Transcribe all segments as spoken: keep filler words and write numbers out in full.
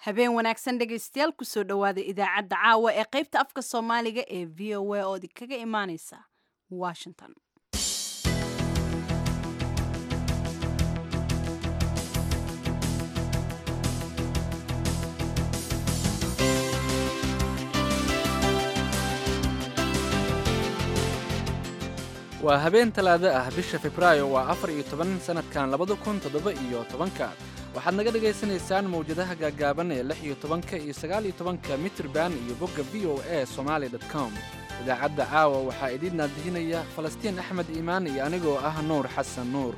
Habeen wanaagsan dhegaystayaal, kusoo dhowaada idaacadda caawa ee qaybta afka Soomaaliga ee V O A oo idinkaga imaaneysa Washington. Waa habeen Talaado ah, bisha Febraayo waa afar iyo toban sanadkan labada kun toddoba iyo tobanka. Waxaad naga dhagaysanaysaan mawjadaha gaagaaban ee lix iyo tobanka iyo sagaal iyo tobanka mitirban iyo bogga V O A Somaali dot com. Idaacadda caawa waxaa idiin naadihinaya Falastiin Axmed Iimaan iyo anigoo ah Nuur Xasan Nuur.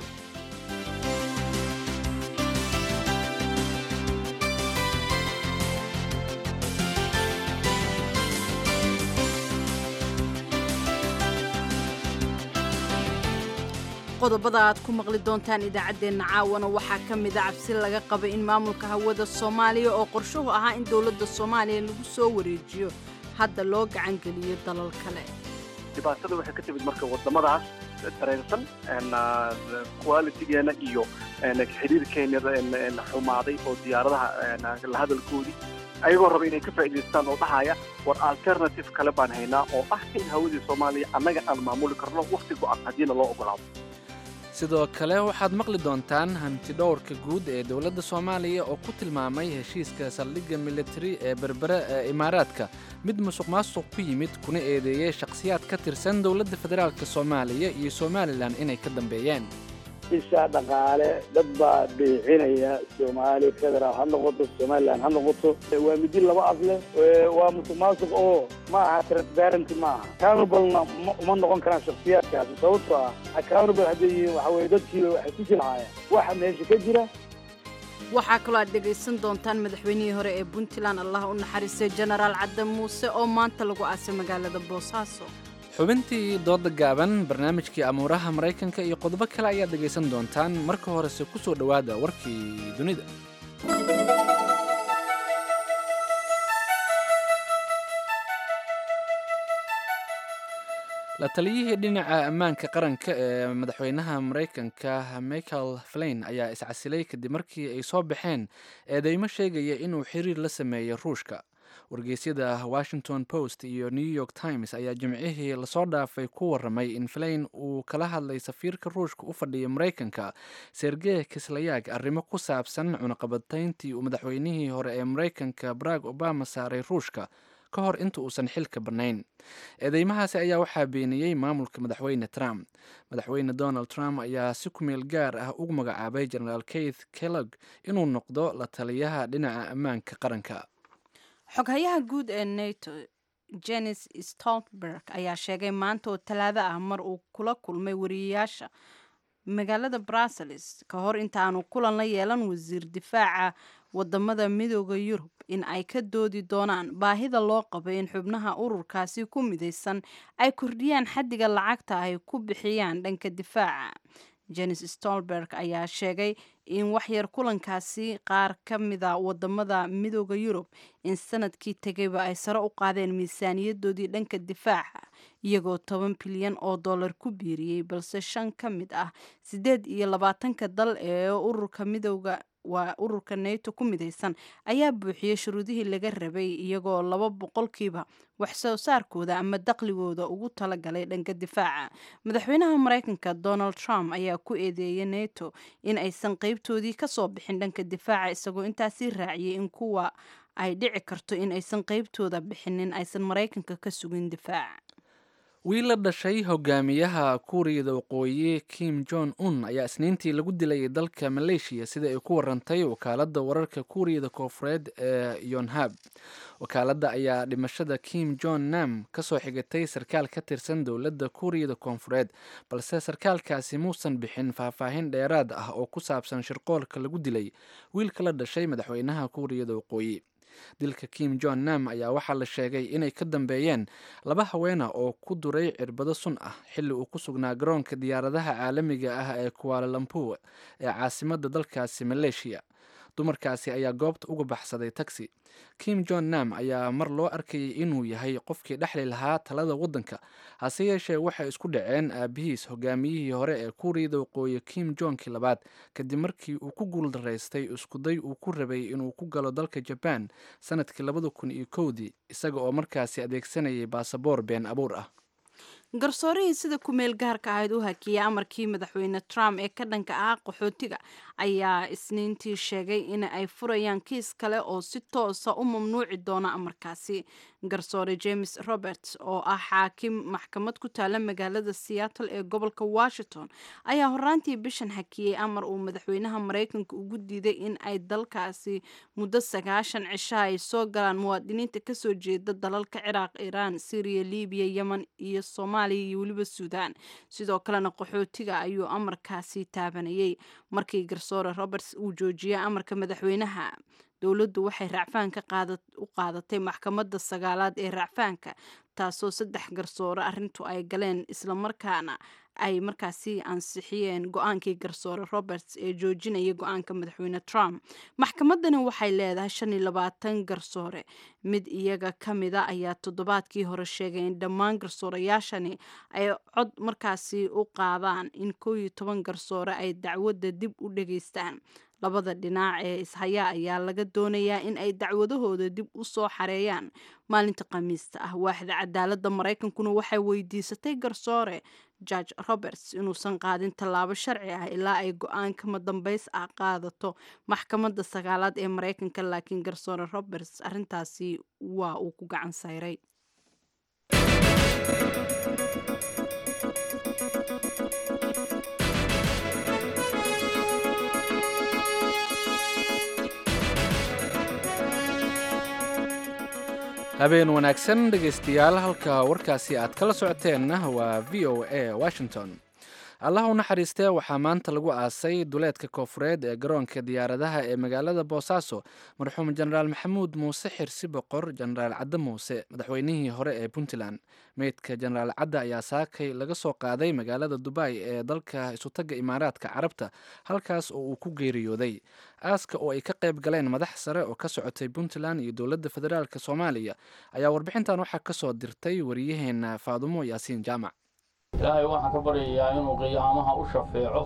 Qodobada aad ku maqli doontaan idaacaddeenna caawana waxaa ka mida cabsi laga qabay in maamulka hawada Soomaaliya oo qorshuhu ahaa in dowladda Soomaaliya lagu soo wareejiyo hadda loo gacangeliyo dalal kale. Dhibaatada waxay ka timid marka wadamadaas dareensan qualitigeena iyo xiriirkeena xumaaday oo diyaaradaha la hadalkoodii, ayagoo raba inay ka faa'iidaystaan oo dhahaya, war alternative kale baan haynaa oo ah in hawadii Soomaaliya annaga aan maamuli karno wakhti go'an haddiina loo ogolaado. Sidoo kale waxaad maqli doontaan hanti dhowrka guud ee dowladda Soomaaliya oo ku tilmaamay heshiiska saldhigga militari ee Berbere ee Imaaraadka mid musuq maasuq ku yimid, kuna eedeeyey shakhsiyaad ka tirsan dowladda federaalk Soomaaliya iyo Somalilan inay ka dambeeyeen. Isha dhaqaale dad baa beecinaya, Soomaali federaal ha noqoto, Somalilan ha noqoto, waa midi laba af leh, waa musuq maasuq oo ma aha transparency, ma aha accountable-na uma noqon karaan shakhsiyaadkaasi, sababtoo ah accountable hadday yihiin waxa weye dadkiiba waxay ku jilcaayaan waxa meesha ka jira. Waxaa kaloo aad dhegaysan doontaan madaxweynihii hore ee Puntland, Allah u naxariistay, Jenaraal Cadde Muuse oo maanta lagu aasay magaalada Boosaaso. Xubintii dooda gaaban, barnaamijkii amuuraha Maraykanka iyo qodobo kale ayaad dhegaysan doontaan. Marka horese ku soo dhowaada warkii dunida. La taliyihii dhinaca ammaanka qaranka ee madaxweynaha Maraykanka Michael Flynn ayaa iscasilay kadib markii ay soo baxeen eedeymo sheegaya inuu xiriir la sameeyey Ruushka. Wargeysyada Washington Post iyo New York Times ayaa Jimcihii lasoo dhaafay ku waramay in Flynn uu kala hadlay safiirka Ruushka u fadhiya Maraykanka Sergey Kislyak arrimo ku saabsan cunaqabatayntii uu madaxweynihii hore ee Maraykanka Barack Obama saaray Ruushka ka hor inta uusan xilka bannayn. Eedeymahaasi ayaa waxaa beeniyey maamulka madaxweyne Trump. Madaxweyne Donald Trump ayaa si kumeel gaar ah ugu magacaabay Jenaraal Keith Kellog inuu noqdo la taliyaha dhinaca ammaanka qaranka. Xoghayaha guud ee NATO Jens Stoltenberg ayaa sheegay maanta oo Talaado ah, mar uu kula kulmay wariyeyaasha magaalada Brussels ka hor intaanu kulan la yeelan wasiir difaaca wadamada Midooda Yurub, in ay ka doodi doonaan baahida loo qabo in xubnaha ururkaasi ku midaysan ay kordhiyaan xaddiga lacagta ay ku bixiyaan dhanka difaaca. Jens Stoltenberg ayaa sheegay in waxyar kulankaasi qaar ka mida wadamada Midooda Yurub in sanadkii tegayba ay sare u qaadeen miisaaniyadoodii dhanka difaaca, iyagoo toban bilyan oo dollar ku biiriyey, balse shan ka mid ah siddeed iyo labaatanka dal ee ururka midooda waa ururka NATO ku midaysan ayaa buuxiyey shuruudihii laga rabay, iyagoo laba boqolkiiba wax soo saarkooda ama dakhligooda ugu talagalay dhanka difaaca. Madaxweynaha Maraykanka Donald Trump ayaa ku eedeeyay NATO in aysan qeybtoodii kasoo bixin dhanka difaaca, isagoo intaasi raaciyay in kuwa ay dhici karto in aysan qeybtooda bixinin aysan Maraykanka ka sugin difaaca. Wiil la dhashay hogaamiyaha Kuuriyada Waqooyi Kim Jong Un ayaa Isniintii lagu dilay dalka Maleeshiya, sida ay ku warantay wakaaladda wararka Kuuriyada Koofureed ee Yonhab. Wakaaladda ayaa dhimashada Kim Jong Nam kasoo xigatay sarkaal ka tirsan dowladda Kuuriyada Koonfureed, balse sarkaalkaasi muusan bixin faahfaahin dheeraad ah oo ku saabsan shirqoolka lagu dilay wiilka la dhashay madaxweynaha Kuuriyada Waqooyi. Dilka Kim Jong Nam ayaa waxaa la sheegay inay ka dambeeyeen laba haweena oo ku duray cirbado sun ah xilli uu ku sugnaa garoonka diyaaradaha caalamiga ah ee Kuala Lumpur ee caasimadda dalkaasi Maleeshiya. Dumarkaasi ayaa goobta uga baxsaday taxi. Kim Jon Nam ayaa mar loo arkayay inuu yahay qofkii dhexli lahaa talada waddanka, hase yeeshee waxay isku dhaceen aabihiis, hogaamiyihii hore ee Kuuriyada Waqooyi Kim Jongkii labaad, kadib markii uu ku guuldaraystay iskuday uu ku rabay inuu ku galo dalka Jabaan sanadkii labada kun iyo kowdii, isaga oo markaasi adeegsanayay baasaboor been abuur ah. Garsoorihii sida ku-meel gaarka ahayd u hakiyay amarkii madaxweyne Trump ee ka dhanka ah qaxootiga ayaa Isniintii sheegay in ay furayaan kiis kale oo si toosa u mamnuuci doona amarkaasi. Garsoore James Roberts oo ah xaakim maxkamad ku taala magaalada Seattle ee gobolka Washington ayaa horaantii bishan hakiyey amar uu madaxweynaha Maraykanka ugu diiday in ay dalkaasi muddo sagaashan cisha ay soo galaan muwaadiniinta kasoo jeeda dalalka Ciraaq, Iiraan, Syriya, Libiya, Yemen iyo Soomaaliya iyo weliba Suudaan. Sidoo kalena qaxootiga ayuu amarkaasi taabanayay. Markii garsoore Roberts uu joojiyey amarka madaxweynaha, dowladdu waxay racfaanka u qaadatay maxkamadda sagaalaad ee racfaanka, taasoo saddex garsoore arrintu ay galeen, islamarkaana ay markaasi ansixiyeen go-aankii garsoore Roberts ee joojinaya go-aanka madaxweyne Trump. Maxkamadani waxay leedahay shan iyo labaatan garsoore. Mid iyaga ka mida ayaa toddobaadkii hore sheegay in dhammaan garsoorayaashani ay cod markaasi u qaadaan in koo iyo toban garsoore ay dacwadda dib u dhageystaan. Labada dhinac ee ishayaa ayaa laga doonayaa in ay dacwadahooda dib u soo xareeyaan maalinta Khamiista ah. Waaxda cadaaladda Maraykankuna waxay weydiisatay garsoore George Roberts inuusan qaadin tallaabo sharci ah ilaa ay go-aan kama dambays ah qaadato maxkamadda sagaalaad ee Maraykanka, laakiin garsoore Roberts arrintaasi waa uu ku gacan sayray. Habeen wanaagsan dhegaystayaal, halka warkaasi aad kala socoteenna waa V O A Washington. Allah u naxariistee, waxaa maanta lagu aasay duleedka koofureed ee garoonka diyaaradaha ee magaalada Boosaaso marxuum Jenaraal Maxamuud Muuse Xirsi Boqor, Jenaraal Cadde Muuse, madaxweynihii hore ee Puntland. Meydka Jenaraal Cadde ayaa saakay laga soo qaaday magaalada Dubai ee dalka Isutagga Imaaraadka Carabta, halkaas oo uu ku geeriyooday. Aaska oo ay ka qayb galeen madax sare oo ka socotay Puntland iyo dowladda federaalk Soomaaliya ayaa warbixintan waxaa kasoo dirtay wariyaheena Faadumo Yaasiin Jaamac. Ilaahay waxaan ka baryayaa inuu qiyaamaha u shafeeco.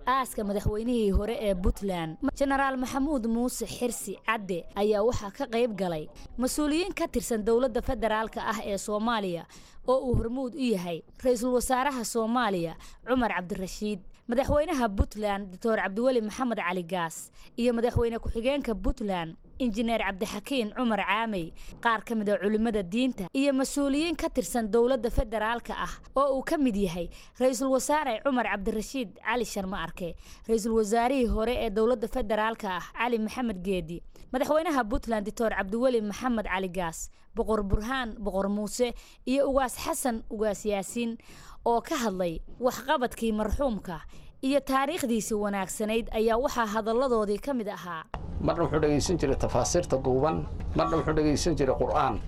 Aaska madaxweynihii hore ee Puntland Jenaraal Maxamuud Muuse Xirsi Cadde ayaa waxaa ka qayb galay mas-uuliyiin ka tirsan dowladda federaalka ah ee Soomaaliya oo uu hormuud u yahay ra-iisul wasaaraha Soomaaliya Cumar Cabdirashiid, madaxweynaha Puntland Doctor Cabdiweli Maxamed Cali Gaas iyo madaxweyne ku-xigeenka Puntland Injineer Cabdixakiin Cumar Caamey, qaar ka mid a culimmada diinta iyo mas-uuliyiin ka tirsan dowladda federaalka ah oo uu ka mid yahay ra-iisul wasaare Cumar Cabdirashiid Cali Sharma Arke, ra-iisul wasaarihii hore ee dowladda federaalka ah Cali Maxamed Geedi, madaxweynaha Puntland Doctor Cabdiweli Maxamed Cali Gaas, Boqor Burhaan Boqor Muuse iyo Ugaas Xasan Ugaas Yaasiin oo ka hadlay waxqabadkii marxuumka iyo taariikhdiisii wanaagsanayd ayaa waxaa hadalladoodii ka mid ahaa. Marna wuxuu dhegaysan jiray tafaasiirta duuban, marna wuxuu dhegaysan jiray Qur'aan.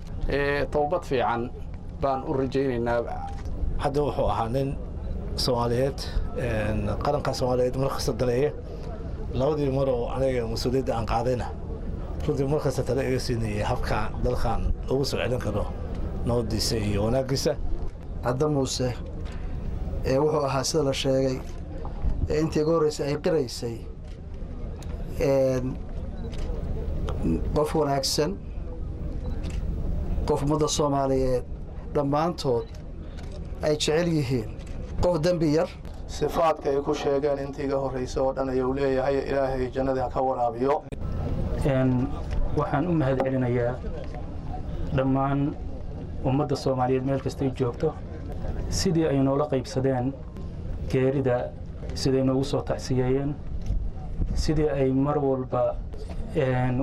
Towbad fiican baan u rajaynaynaa. Hadda wuxuu ahaa nin Soomaaliyeed, qaranka Soomaaliyeed mar kasta daneeya. Labadii mar oo aniga mas-uuliyadda aan qaadayna runtii mar kasta tale iga siinayay habka dalkan ugu soo celin karo nabadiisa iyo wanaaggiisa. Cadde Muuse ee wuxuu ahaa, sida la sheegay ee intii ugu horreysay ay qiraysay, qof wanaagsan, qof ummadda Soomaaliyeed dhammaantood ay jecel yihiin, qof dembi yar. Sifaadka ay ku sheegeen intii iga horraysa oo dhan ayuu leeyahay. Ilaahay jannadii ha ka waraabiyo. Waxaan u mahad celinayaa dhammaan ummadda Soomaaliyeed meel kastay joogto sidii ay noola qaybsadeen geerida, siday noogu soo tacsiyeeyeen, sidii ay mar walba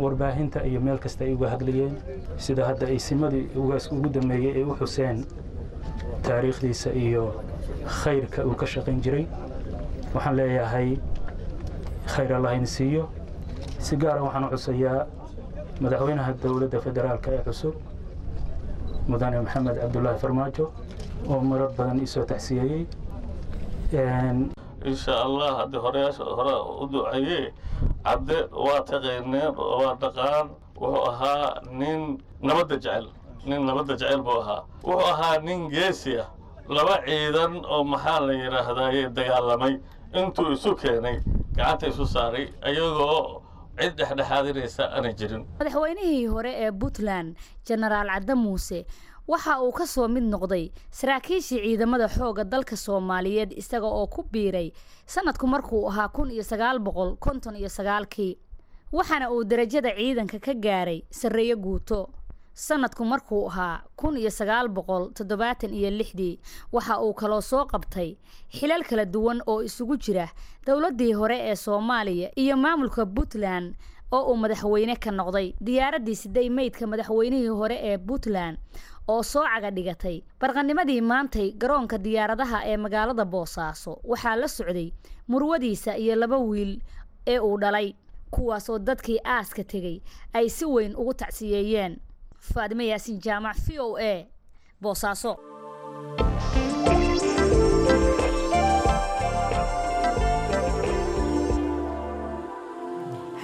warbaahinta iyo meel kasta ay uga hadlayeen, sida hadda ay simadii ugaas ugu dambeeyey ay u xuseen taariikhdiisa iyo khayrka uu ka shaqayn jiray. Waxaan leeyahay khayr Allah in siiyo. Si gaara waxaan u xusayaa madaxweynaha dowladda federaalka ee cusub, Mudane Maxamed Cabdulaahi Farmaajo, oo marar badan isoo tacsiyeeyey. Insha Allah haddii horeyaasha hore u duceeyey, Cadde waa taqayneen, waa dhaqaan. Wuxuu ahaa nin nabadda jecel, nin nabadda jecel buu ahaa. Wuxuu ahaa nin geesi ah, laba ciidan oo maxaa la yidhaahdaaye dagaalamay intuu isu keenay gacanta isu saaray, ayagoo cid dhexdhexaadinaysa aanay jirin. Madaxweynihii hore ee Puntland, Jenaraal Cadde Muuse, waxa uu ka soo mid noqday saraakiishii ciidamada xoogga dalka Soomaaliyeed, isaga oo ku biiray sanadku markuu ahaa kun iyo sagaal boqol konton iyo sagaalkii, waxaana uu darajada ciidanka ka gaaray sarreeye guuto sanadku markuu ahaa kun iyo sagaal boqol toddobaatan iyo lixdii. Waxa uu kaloo soo qabtay xilal kala duwan oo isugu jira dowladdii hore ee Soomaaliya iyo maamulka Puntland oo uu madaxweyne ka noqday. Diyaaraddii siday meydka madaxweynihii hore ee Puntland oo soo caga dhigatay barqanimadii maantay garoonka diyaaradaha ee magaalada Boosaaso waxaa la socday murwadiisa iyo laba wiil ee uu dhalay, kuwaasoo dadkii aaska tegey ay si weyn ugu tacsiyeeyeen. Faadime Yaasin Jaamac, V O A, Boosaaso.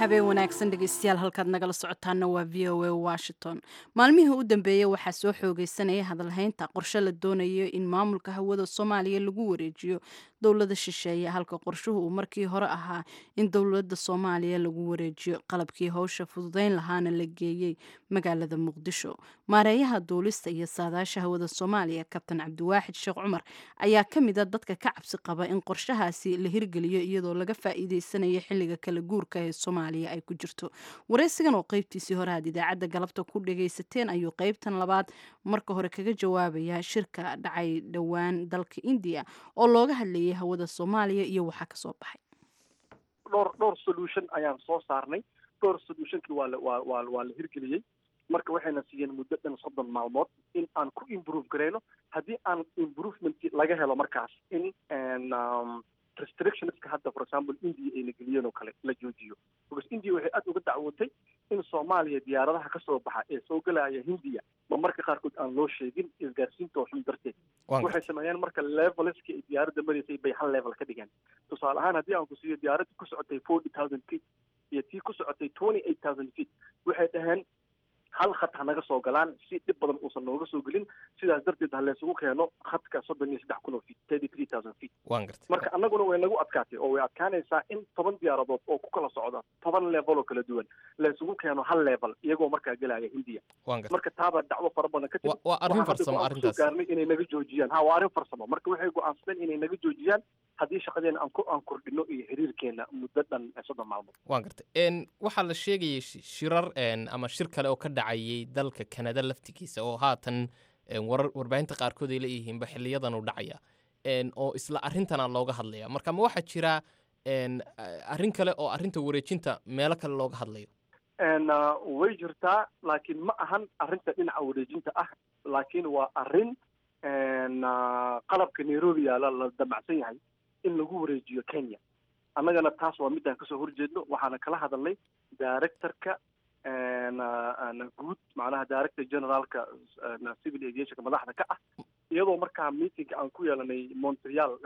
Habeen wanaagsan dhegeystayaal, halkaad nagala socotaana waa V O A Washington. Maalmihii u dambeeyey waxaa soo xoogeysanaya hadalhaynta qorshe la doonayo in maamulka hawada Soomaaliya lagu wareejiyo dowlada shisheeye, halka qorshuhu uu markii hore ahaa in dowlada Soomaaliya lagu wareejiyo qalabkii howsha fududeyn lahaana la geeyey magaalada Muqdisho. Maareeyaha duulista iyo saadaasha hawada Soomaaliya, Kabtan Cabdiwaaxid Sheekh Cumar, ayaa ka mid a dadka ka cabsi qaba in qorshahaasi la hirgeliyo iyadoo laga faa'iideysanayo xilliga kala guurka ee Soomaaliya ay ku jirto. Wareysigan oo qaybtiisii hore aad idaacadda galabta ku dhagaysateen ayuu qaybtan labaad marka hore kaga jawaabaya shirka dhacay dhowaan dalka Indiya oo looga hadlayay hawada Soomaaliya iyo waxaa kasoo baxay. dhowr dhowr solution ayaan soo saarnay, dhowr solutionkii waa la waa waa waa la hirgeliyey. Marka waxayna siiyeen muddo dhan soddon maalmood in aan ku improve garayno. Haddii aan improvement laga helo, markaas in restrictionska hadda, for example, India ayna geliyeen oo kale la joojiyo, because India waxay aad uga dacwootay in Soomaaliya diyaaradaha kasoo baxa ee soo gelaya Hindiya ma marka qaarkood aan loo sheegin isgaarsiinta xun darteed. Waxay sameeyeen marka levelski ay diyaaradda maraysay bay hal level ka dhigeen. Tusaale ahaan, haddii aan ku siiyo diyaaradda ku socotay forty thousand feet iyo tii ku socotay twenty eight thousand feet, waxay dhaheen hal khad ha naga soo galaan si dhib badan uusan nooga soo gelin, sidaas darteed ha laysugu keeno khadka soddon iyo saddex kun oo feet, thirty three thousand feet. Waan gartay. Marka annaguna way nagu adkaatay oo way adkaanaysaa in toban diyaaradood oo ku kala socda toban level oo kala duwan laysugu keeno hal level iyagoo markaa gelaya Hindiya. Waan gartay. Marka taabaa dacwo fara badan ka timid. Waa arrin farsamo arrintaas. Gaarnay inay naga joojiyaan. Ha, waa arrin farsamo. Marka waxay go'aansadeen inay naga joojiyaan haddii shaqadeena aan ku aan kordhino iyo xiriirkeena muddo dhan soddon maalmood. Waan gartay. n waxaa la sheegayay shirar ama shir kale oo ka dhacayay dalka Canada laftigiisa oo haatan warar warbaahinta qaarkood ay leeyihiinba xiliyadan uu dhacaya oo isla arrintana looga hadlaya. Marka ma waxaa jira arrin kale oo arrinta wareejinta meelo kale looga hadlayo? Way jirtaa, laakiin ma ahan arrinta dhinaca wareejinta ah, laakiin waa arrin qalabka Nairobi yaala la damacsan yahay in lagu wareejiyo Kenya. Annagana taas waa midaan kasoo horjeedno. Waxaana kala hadalnay directorka guud, macnaha director generaalka civil aviationka madaxda ka ah, iyadoo markaa meetingka aan ku yeelanay Montreal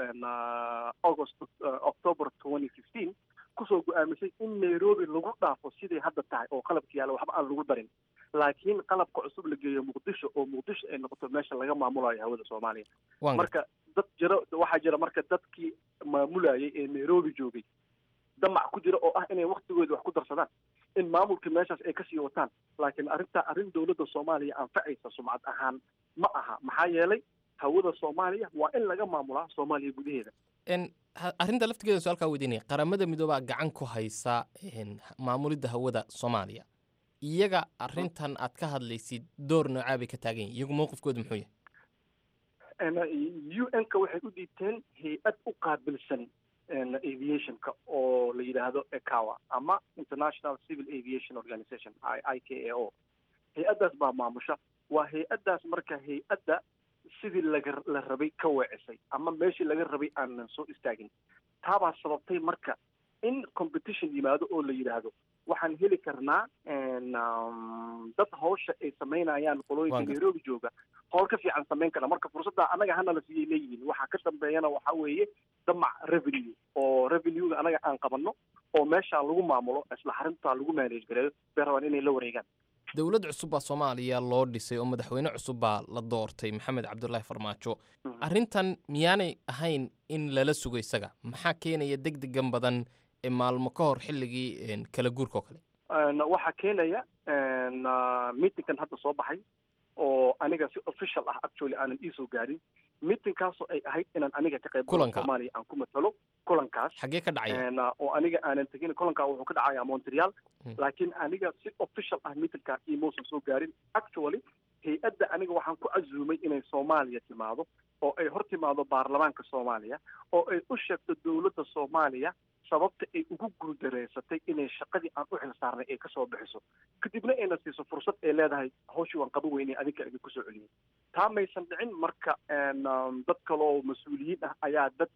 August, October twenty fifteen, kusoo go-aamisay in Nairobi lagu dhaafo siday hadda tahay oo qalabka yaala waxba aan lagu darin, laakiin qalabka cusub la geeyo Muqdisho oo Muqdisho ay noqoto meesha laga maamulayo hawada Soomaaliya. Marka dad jira, waxaa jira marka dadkii maamulayay ee Nairobi joogay damac ku jira oo ah inay waktigooda wax ku darsadaan, in maamulka meeshaas ay kasii wataan. Laakiin arrintaa arrin dowladda Soomaaliya anfacaysa sumcad ahaan ma aha, maxaa yeelay hawada Soomaaliya waa in laga maamulaa Soomaaliya gudaheeda. Arrinta laftigeeda su-aalkaa weydiinaya, Qaramada Midoobaa gacan ku haysa maamulidda hawada Soomaaliya. Iyaga arrintan aad ka hadlaysid door noocaa bay ka taagan yihin? Iyagu mowqifkooda muxuu yahay? U N-ka waxay u dhiibteen hay-ad u qaabilsan aviationka oo la yidhaahdo ECAWA ama International Civil Aviation Organization, I K A O. Hay-addaas baa maamusha. Waa hay-addaas marka hay-adda sidii laga la rabay ka weecisay ama meeshii laga rabay aanan soo istaagin. Taabaa sababtay marka in competition yimaado oo la yidhaahdo waxaan heli karnaa dad hawsha ay samaynayaan qolooyinka Nairobi jooga howl ka fiican samayn kara. Marka fursadda annaga hana la siiyay leeyihiin. Waxaa ka dambeeyana waxaa weeye Damac revenue oo revenue-ga anaga aan qabanno oo meeshaa lagu maamulo, isla xaruntaa lagu manage gareeyo bay rabaan inay la wareegaan. Dowlad cusub baa Soomaaliya loo dhisay oo madaxweyne cusub baa la doortay, Maxamed Cabdulaahi Farmaajo. Arrintan miyaanay ahayn in lala sugo isaga? Maxaa keenaya deg degan badan ee maalmo ka hor xilligii kala guurka oo kale? Waxaa keenaya meetingkan hadda soo baxay oo aniga si official ah actually aanan iisoo gaarin, meetingkaasoo ay ahayd inaan aniga ka qayb galo, Soomaaliya aan ku matalo kulankaas. Xagee ka dhacaya? Oo aniga aanan tegin. Kulankaa wuxuu ka dhacayaa Montreal, laakiin aniga si official ah meetingkaa iimausan soo gaarin. Actually hay-adda aniga waxaan ku casuumay inay Soomaaliya timaado oo ay hor timaado baarlamaanka Soomaaliya oo ay u sheegto dowladda Soomaaliya sababta ay ugu guuldareysatay inay shaqadii aan u xil saarnay ay kasoo bixiso, kadibna ayna siiso fursad ay leedahay hawshii waan qaban weynay, adinka idinku soo celiyey. Taa maysan dhicin. Marka dad kaloo mas-uuliyiin ah ayaa dad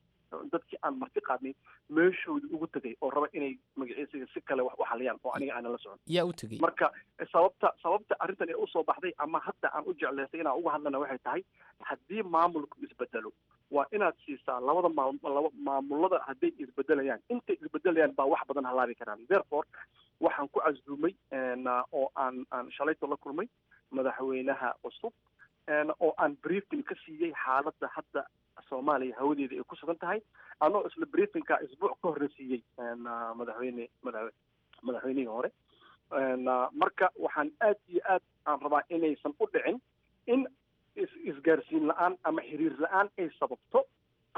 dadkii aan marti qaadnay meeshooda ugu tegay oo raba inay magaciisiga si kale wax u xaliyaan oo aniga aanan la socon. Yaa u tegey? Marka sababta sababta arrintan ee usoo baxday ama hadda aan u jeclaystay inaan uga hadlana waxay tahay, haddii maamulku isbedelo waa inaad siisaa labada maam laba maamulada hadday isbedelayaan, intay isbedelayaan baa wax badan halaabi karaan. Therefore waxaan ku casuumay oo aan aan shalayto la kulmay madaxweynaha cusub oo aan briefing ka siiyey xaaladda hadda Soomaaliya hawadeeda ay ku sugan tahay, anoo isla briefingka isbuuc ka horna siiyey madaxweyne madax madaxweynihii hore. Marka waxaan aad iyo aad aan rabaa inaysan u dhicin in is isgaarsiin la-aan ama xiriir la-aan ay sababto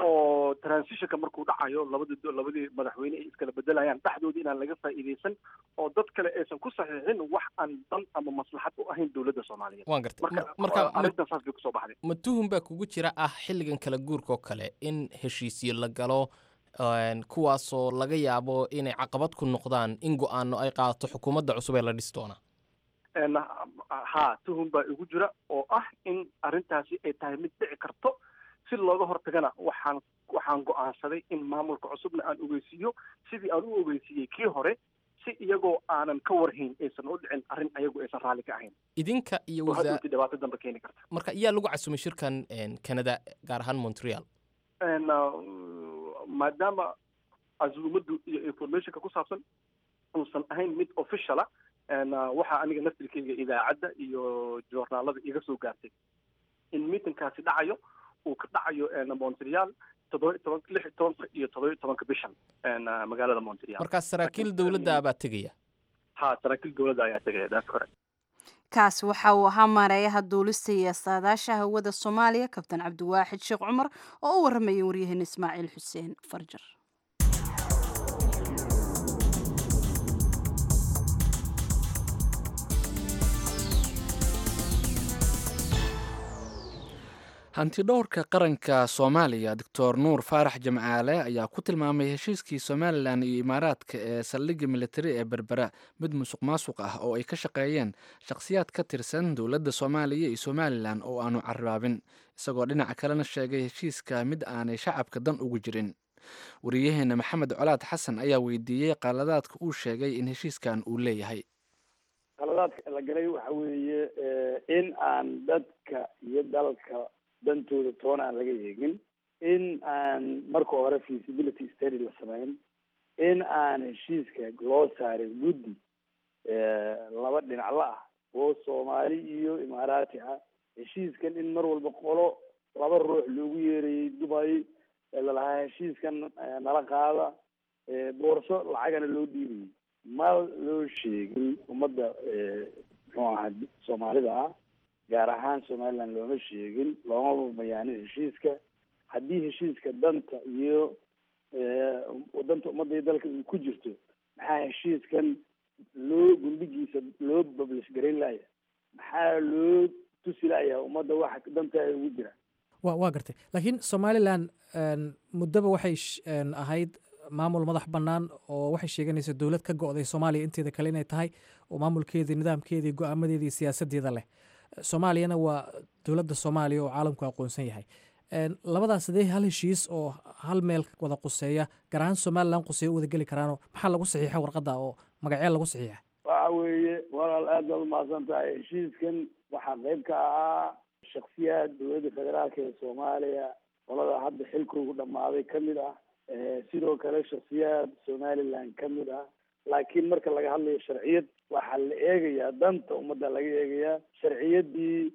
oo transitionka markuu dhacayo labadi labadii madaxweyne ay iskala bedelayaan dhexdooda inaan laga faa'iidaysan oo dad kale aysan ku saxiixin wax aan dan ama maslaxad u ahayn dowladda Soomaaliyeed. Waan gartay. Marka arrintan saas bay kusoo baxday. Ma tuhun baa kugu jira ah xilligan kala guurka oo kale in heshiisyo la galo kuwaasoo laga yaabo inay caqabad ku noqdaan in go-aano ay qaadato xukuumadda cusub ee la dhisi doona? Ha, tuhun baa igu jira oo ah in arrintaasi ay tahay mid dhici karto. Si looga hortagana waxaan waxaan go-aansaday in maamulka cusubna aan ogeysiiyo sidii aan u ogeysiiyey kii hore, si iyagoo aanan ka warhayn aysan u dhicin arrin ayagu aysan raalli ka ahayn. Idinka iyo oo hadhowti dhibaato dambe keeni karta. Marka iyaa lagu casumay shirkan Canada, gaar ahaan Montreal? Maadaama casuumaddu iyo informationka ku saabsan uusan ahayn mid officiala, waxaa aniga naftirkeyga idaacadda iyo joornaalada iga soo gaartay in meetingkaasi dhacayo, uu ka dhacayo Montreal toddoba toban lix iyo tobanka iyo toddoba iyo tobanka bishan magaalada Montreal. Markaa saraakiil dowladda baa tegaya? Ha, saraakiil dowladda ayaa tegaya, that's correct. Kaas waxa uu ahaa maareeyaha duulista iyo saadaasha hawada Soomaaliya, Kabtan Cabdiwaaxid Sheekh Cumar, oo u waramayay waryaheena Ismaaciil Xuseen Farjar. Hantidhowrka qaranka Soomaaliya Doctor Nuur Faarax Jamcaale ayaa ku tilmaamay heshiiskii Somalilan iyo Imaaraadka ee saldhigga militari ee Berbera mid musuq maasuq ah oo ay ka shaqeeyeen shakhsiyaad ka tirsan dowladda Soomaaliya iyo Somalilan oo aanu carraabin, isagoo dhinaca kalena sheegay heshiiska mid aanay shacabka dan ugu jirin. Wariyaheena Maxamed Colaad Xasan ayaa weydiiyey qaladaadka uu sheegay in heshiiskan uu leeyahay. Qaladaadka la galay waxa weeye in aan dadka iyo dalka dantooda toona aan laga eegin, in aan marka hore feasibility study la samayn, in aan heshiiska loo saarin guddi laba dhinac la ah oo Soomaali iyo Imaaraati ah. Heshiiskan in mar walba qolo laba ruux loogu yeerayay Dubai lalahaa heshiiskan nala qaada, boorso lacagana loo dhiibayay, ma loo sheegin ummadda muxuu ahaa Soomaalida ah, gaar ahaan Somaliland looma sheegin, looma bayaanin heshiiska. Haddii heshiiska danta iyo danta ummadda iyo dalka uu ku jirto, maxaa heshiiskan loo gundhigiisa loo publish garayn laaya? Maxaa loo tusi laaya ummadda waxa dantaada ugu jira? Wa waa gartay, laakiin Somalilan muddaba waxay ahayd maamul madax bannaan oo waxay sheeganaysa dowlad ka go'day Soomaaliya inteeda kale inay tahay oo maamulkeedii, nidaamkeedii, go-aamadeedii, siyaasadeeda leh. Soomaaliyana waa dowladda Soomaaliya oo caalamku aqoonsan yahay. Labadaas sidee hal heshiis oo hal meel wada quseeya, gaar ahaan Somalilan quseeya, u wada geli karaanoo maxaa lagu saxiixa warqadda oo magacee lagu saxiixa? Waxa weeye walaal, aad baad umahadsan tahay. Heshiiskan waxaa qayb ka ahaa shaksiyaad dowladda federaalka ee Soomaaliya Qolada hadda xilkoogu dhammaaday ka mid ah, sidoo kale shaksiyaad Somaliland ka mid ah. Laakiin marka laga hadlayo sharciyad, waxaa la eegayaa danta ummadda laga eegayaa. Sharciyaddii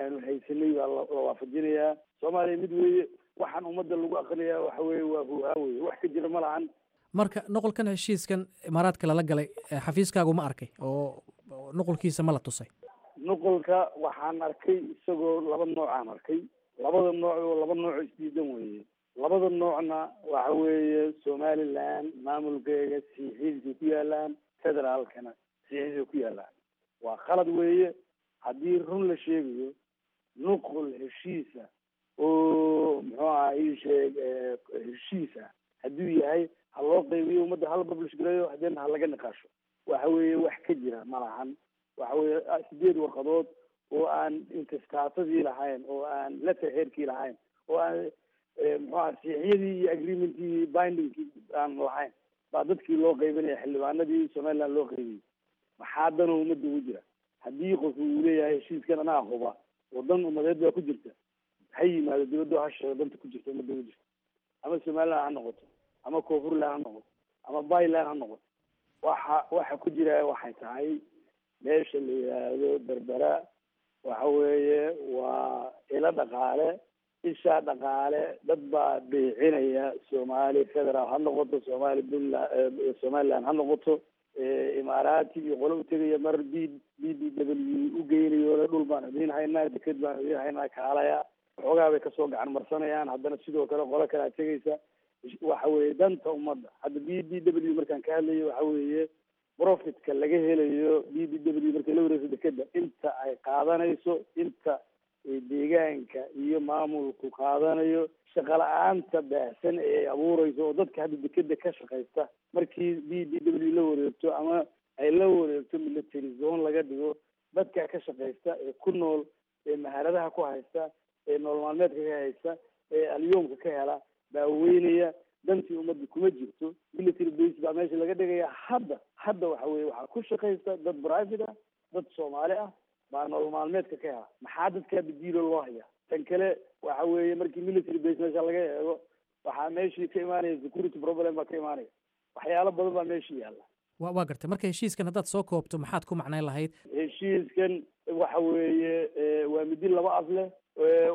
aanu haysanay baa la waafajinayaa. Soomaaliya mid weeye, waxaan ummadda lagu aqrinayaa waxa weeye waa huuhaa weye, wax ka jira ma lahan. Marka nuqulkan heshiiskan Imaaraadka lala galay, xafiiskaagu ma arkay oo nuqulkiisa ma la tusay? Nuqulka waxaan arkay isagoo laba noocaan arkay. Labada nooc oo laba nooc isdiidan weeye. Labada noocna waxa weeye Somaliland maamulkeega sixiisay ku yaalaan, federaalkana sixiisay ku yaalaan. Waa khalad weeye haddii run la sheegayo. Nuqul heshiisa oo muxuu aha ii sheeg heshiis ah hadduu yahay, ha loo qaybiyo ummadda, hala publish gareeyo, haddana ha laga niqaasho. Waxa weeye wax ka jira ma lahan. Waxa weeye sideed warqadood oo aan intistaatadii lahayn, oo aan letterheadkii lahayn, oo aan muxuu aha siixyadii iyo agreementkii bindingkii aan lahayn baa dadkii loo qaybinaya, xildhibaanadii Somaliland loo qaybiyey. Maxaa dano ummadda ugu jira? Haddii qofku uu leeyahay heshiiskan anaa huba oo dan ummadeed baa ku jirta, ha yimaado dibadda, ha sheego danta ku jirta ummadda ugu jirta, ama Somaliland ha noqoto, ama Koonfurland ha noqoto, ama Byland ha noqoto. Waxa waxa ku jira waxay tahay meesha la yidhaahdo Berbera waxa weeye waa ilo dhaqaale, ishaa dhaqaale. Dad baa beecinaya, Soomaali federaal ha noqoto, Soomaali Puntland, Somaliland ha noqoto, Imaaraati iyo qolo u tegaya, mar b b d w u geynayo, dhul baan idiin haynaa, deked baan idiin haynaa, kaalaya. Xoogaa bay kasoo gacan marsanayaan. Haddana sidoo kale qolo kalea tegaysa. Waxa weeye danta ummadda hadda b d w markaan ka hadlayo, waxa weeye profitka laga helayo b d w markay la wareegso dekeda, inta ay qaadanayso, inta deegaanka iyo maamulku qaadanayo, shaqa la-aanta baahsan ee ay abuureyso oo dadka hadda dekeda ka shaqaysta markii b d w la wareegto ama ay la wareegto military zone laga dhigo, dadka ka shaqaysta ee ku nool, ee maharadaha ku haysta, ee nolol maalmeedka ka haysta, ee alyoomka ka hela baa weynaya. Dantii ummadda kuma jirto. Military base baa meesha laga dhigaya. Hadda hadda waxa weye waxaa ku shaqaysta dad private ah, dad Soomaali ah baa nolol maalmeedka ka hela. Maxaa dadkaa badiilo loo hayaa? Tan kale waxa weeye markii military base meesha laga eego, waxaa meeshii ka imaanaya security problem baa ka imaanaya, waxyaalo badan baa meesha yaalla. Wa waa gartay. Marka heshiiskan haddaad soo koobto, maxaad ku macnayn lahayd? Heshiiskan waxa weeye waa midi laba af leh,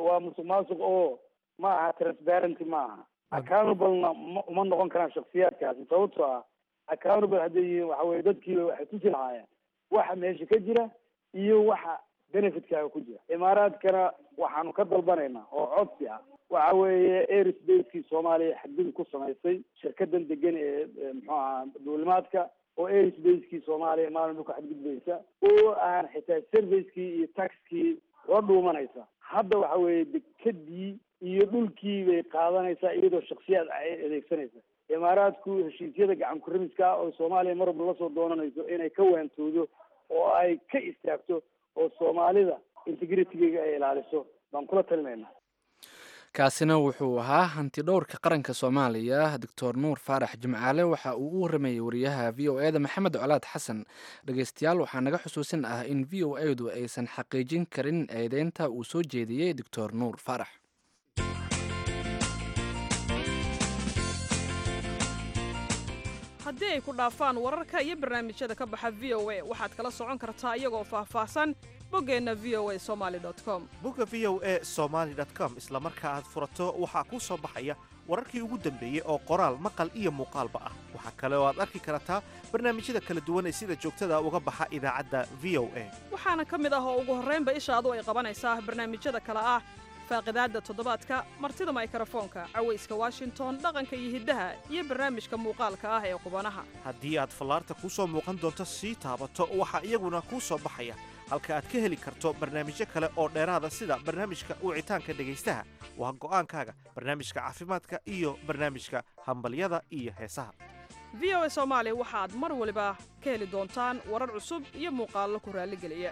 waa musuq maasuq oo ma aha transparency, ma aha accountablena uma noqon karaan shaksiyaadkaasi. Sababtoo ah accountable hadday yihiin, waxa weye dadkiiba waxay tusi lahaayeen waxa meesha ka jira iyo waxa benefitkaaga ku jira. Imaaraadkana waxaanu ka dalbanaynaa oo codsi ah, waxa weeye airspace-kii Soomaaliya xadgudub ku samaysay shirkadan degan ee muxuu ahaa duulimaadka, oo airspace-kii Soomaaliya maalin ku xadgudbaysa, oo aan xitaa servicekii iyo taxkii la dhuumanaysa. Hadda waxa weeye dekadii iyo dhulkii bay qaadanaysaa iyadoo shaksiyaad ay adeegsanaysa. Imaaraadku heshiisyada gacan kurimiska ah oo Soomaaliya mar walba lasoo doonanayso inay ka waantoodo oo ay ka istaagto oo Soomaalida integritygeega ay ilaaliso baan kula talinaynaa. Kaasina wuxuu ahaa hanti dhowrka qaranka Soomaaliya, Doctor Nuur Faarax Jimcaale. Waxa uu u waramayey wariyaha V O e da Maxamed Colaad Xasan. Dhegeystayaal, waxaa naga xusuusin ah in V O e du aysan xaqiijin karin eedeynta uu soo jeediyey Doctor Nuur Faarax. Haddii ay ku dhaafaan wararka iyo barnaamijyada ka baxa V O A, waxaad kala socon kartaa iyagoo faahfaahsan boggeenna V O A Somali com. Bogga V O A Somaali com isla marka aad furato, waxaa kuu soo baxaya wararkii ugu dambeeyey oo qoraal, maqal iyo muuqaalba ah. Waxaa kale oo aad arki kartaa barnaamijyada kala duwan ee sida joogtada uga baxa idaacadda V O A. Waxaana ka mid ah oo ugu horraynba ishaadu ay qabanaysaa barnaamijyada kale ah faaqidaadda toddobaadka, martida maykarafoonka, cawayska Washington, dhaqanka iyo hiddaha, iyo barnaamijka muuqaalka ah ee qubanaha. Haddii aad fallaarta kuu soo muuqan doonto sii taabato, waxaa iyaguna kuu soo baxaya halka aad ka heli karto barnaamijyo kale oo dheeraada, sida barnaamijka wicitaanka dhegaystaha, waa go'aankaaga, barnaamijka caafimaadka iyo barnaamijka hambalyada iyo heesaha. V O A Soomaali waxaad mar waliba ka heli doontaan warar cusub iyo muuqaallo ku raalligeliya.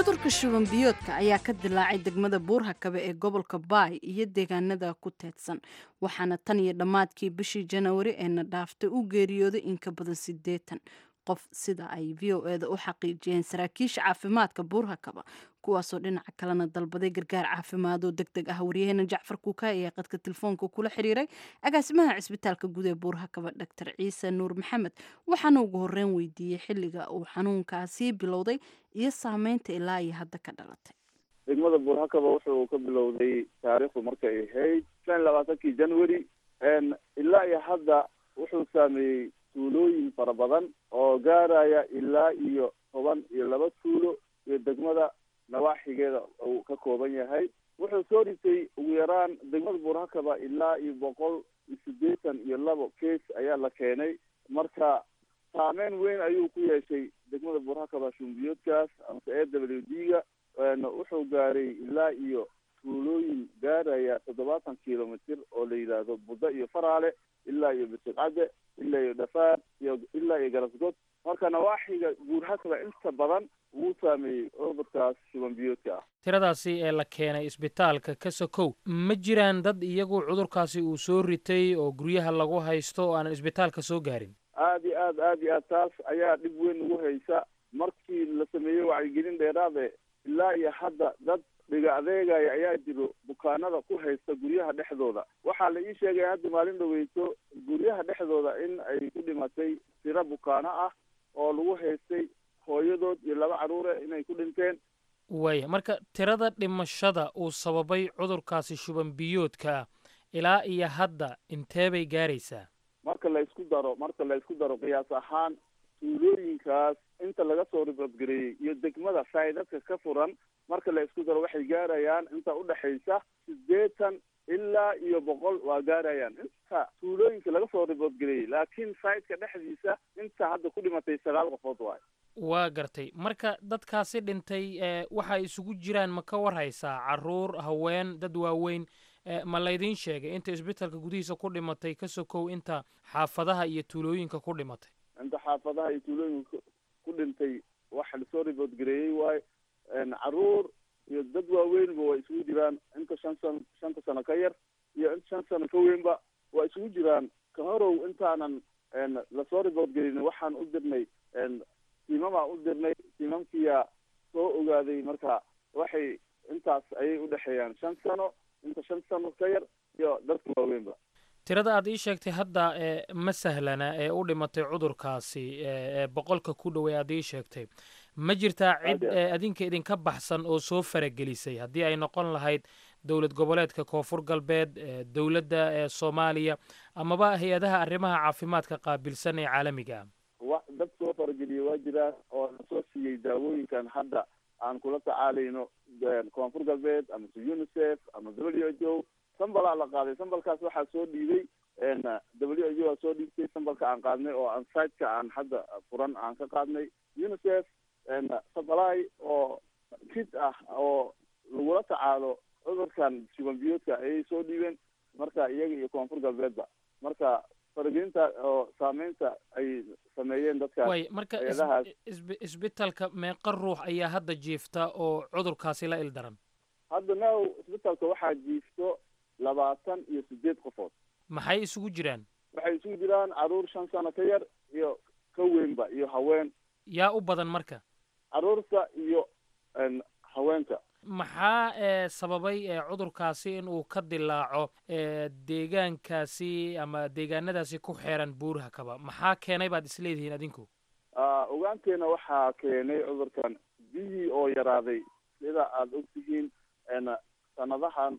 Cudurka shuban biyoodka ayaa ka dilaacay degmada Buurhakabe ee gobolka Baay iyo deegaanada ku teedsan, waxaana tan iyo dhammaadkii bishii Janawari ee na dhaaftay u geeriyooday in ka badan siddeetan. Qof, sida ay V O eda u xaqiijiyeen saraakiisha caafimaadka Buurhakaba, kuwaasoo dhinaca kalena dalbaday gargaar caafimaad oo deg deg ah. Waryaheena Jacfar Kuuka ayaa qadka telefoonka kula xiriiray agaasimaha cisbitaalka guud ee Buurhakaba, Doctor Ciise Nuur Maxamed, waxaana ugu horreyn weydiiyey xilliga uu xanuunkaasi bilowday iyo saameynta ilaa iyo hadda ka dhalatay. Degmada Buurhakaba wuxuu ka bilowday taariikhdu markay ahayd shan iyo labaatankii January. Ilaa iyo hadda wuxuu saameeyey tuulooyin fara badan oo gaaraya ilaa iyo toban iyo laba tuulo iyo degmada nawaaxigeeda uu ka kooban yahay. Wuxuu soo ritay ugu yaraan degmada Buurhakaba ilaa iyo boqol iyo siddeetan iyo labo case ayaa la keenay. Marka saameyn weyn ayuu ku yeeshay degmada Buurhakaba shumbiyoodkaas amase A W D ga. Wuxuu gaaray ilaa iyo tuulooyin gaaraya toddobaatan kilomitr oo la yidhaahdo Budda iyo Faraale, ilaa iyo Bisiqcadde, ilaa iyo Dhafaar iyo ilaa iyo Garasgod. Marka nawaaxiga Buurhakaba inta badan wuu saameeyey cudurkaas shuban biyoodka ah. Tiradaasi ee la keenay isbitaalka ka sokow, ma jiraan dad iyagu cudurkaasi uu soo ritay oo guryaha lagu haysto oo aanan isbitaalka soo gaarin? Aada iyo aad, aada iyo aad, taas ayaa dhib weyn ugu haysa. Markii la sameeyey wacyigelin dheeraade, ilaa iyo hadda dad dhiga adeegaya ayaa jiro bukaanada ku haysta guryaha dhexdooda. Waxaa la ii sheegaya hadda maalin dhaweyso guryaha dhexdooda in ay ku dhimatay tiro bukaano ah oo lagu haystay hooyadood iyo laba carruure inay ku dhinteen. Waaya, marka tirada dhimashada uu sababay cudurkaasi shuban biyoodka ah ilaa iyo hadda intee bay gaaraysaa? Marka la isku daro marka la isku daro qiyaas ahaan tuulooyinkaas inta laga soo ribadgareeyey iyo degmada saydadka ka furan marka la isku daro, waxay gaarayaan inta udhexaysa siddeetan ilaa iyo boqol waa gaarayaan inta tuulooyinka laga soo riboodgareeyey. Laakiin sayidka dhexdiisa inta hadda ku dhimatay sagaal qofood waayo. Waa gartay. Marka dadkaasi dhintay waxa ay isugu jiraan ma ka war haysaa? Caruur, haween, dad waaweyn, ma laydin sheegay inta isbitaalka gudihiisa ku dhimatay ka sokow inta xaafadaha iyo tuulooyinka ku dhimatay? Inta xaafadaha iyo tuulooyinka ku dhintay waxa lasoo riboodgareeyey waayo caruur iyo dad waaweynba waa isugu jiraan. Inta shan sano, shanta sano ka yar iyo inta shan sano ka weynba waa isugu jiraan. Ka horow intaanan lasoo riboodgelin waxaan u dirnay tiimamaa u dirnay, tiimamkiyaa soo ogaaday. Marka waxay intaas ayay udhexeeyaan shan sano, inta shan sano ka yar iyo dadka waaweynba. Tirada aad ii sheegtay hadda ma sahlana ee u dhimatay cudurkaasi ee boqolka ku dhowey aad ii sheegtay. Ma jirtaa cid adinka idinka baxsan oo soo faragelisay, haddii ay noqon lahayd dowlad goboleedka Koonfur Galbeed, dowladda ee Soomaaliya amaba hay-adaha arrimaha caafimaadka qaabilsan ee caalamiga ah? Wa dad soo farageliyey waa jiraan oo nasoo siiyey daawooyinkan hadda aan kula tacaalayno, Koonfur Galbeed amase UNICEF ama W H O. Sambalaa la qaaday, sambalkaas waxaa soo dhiibay W H O aa soo dhiibtay sambalka aan qaadnay oo aan siteka aan hadda furan aan ka qaadnay. UNICEF supply oo kit ah oo lagula tacaalo cudurkan shuban biyoodka ayay soo dhiibeen. Marka iyaga iyo Koonfur Galbeedba marka faragelinta oo saameynta ay sameeyeen dadkaas. Way marka isbitaalka meeqa ruux ayaa hadda jiifta oo cudurkaasi la ildaran? Hadda now isbitaalka waxaa jiifto labaatan iyo sideed qofood. Maxay isugu jiraan? Waxay isugu jiraan caruur shan sano ka yar iyo ka weynba iyo haween. Yaa u badan marka? Caruurta iyo haweenka. Maxaa ee sababay cudurkaasi in uu ka dilaaco deegaankaasi ama deegaanadaasi ku xeeran Buurhakaba? Maxaa keenay baad isleedihiin adinku? Ogaanteena waxaa keenay cudurkan biyihii oo yaraaday. Sida aada ogtihiin sanadahan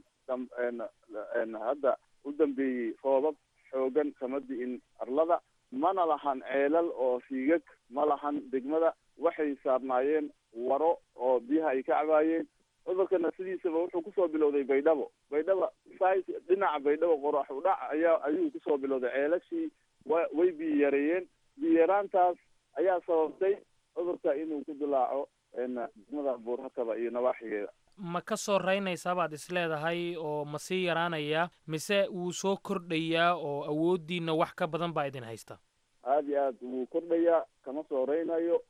hadda u dambeeyey roobab xoogan kama di'in arlada, mana lahan ceelal oo riigag ma lahan degmada. Waxay saarnaayeen waro oo biyaha ay ka cabaayeen. Cudurkana sidiisaba wuxuu kusoo bilowday Baydhabo. Baydhaba size dhinaca Baydhabo qorax u dhac ayaa ayuu kusoo bilowday. Ceelashii wa way biyo yareeyeen. Biyo yaraantaas ayaa sababtay cudurka inuu ku dilaaco degmada Buurhakaba iyo nawaaxigeeda. Ma ka soo raynaysaa baad isleedahay oo ma sii yaraanayaa mise wuu soo kordhayaa oo awooddiina wax ka badan baa idin haysta? Aada iyo aad wuu kordhayaa, kama soo raynayo.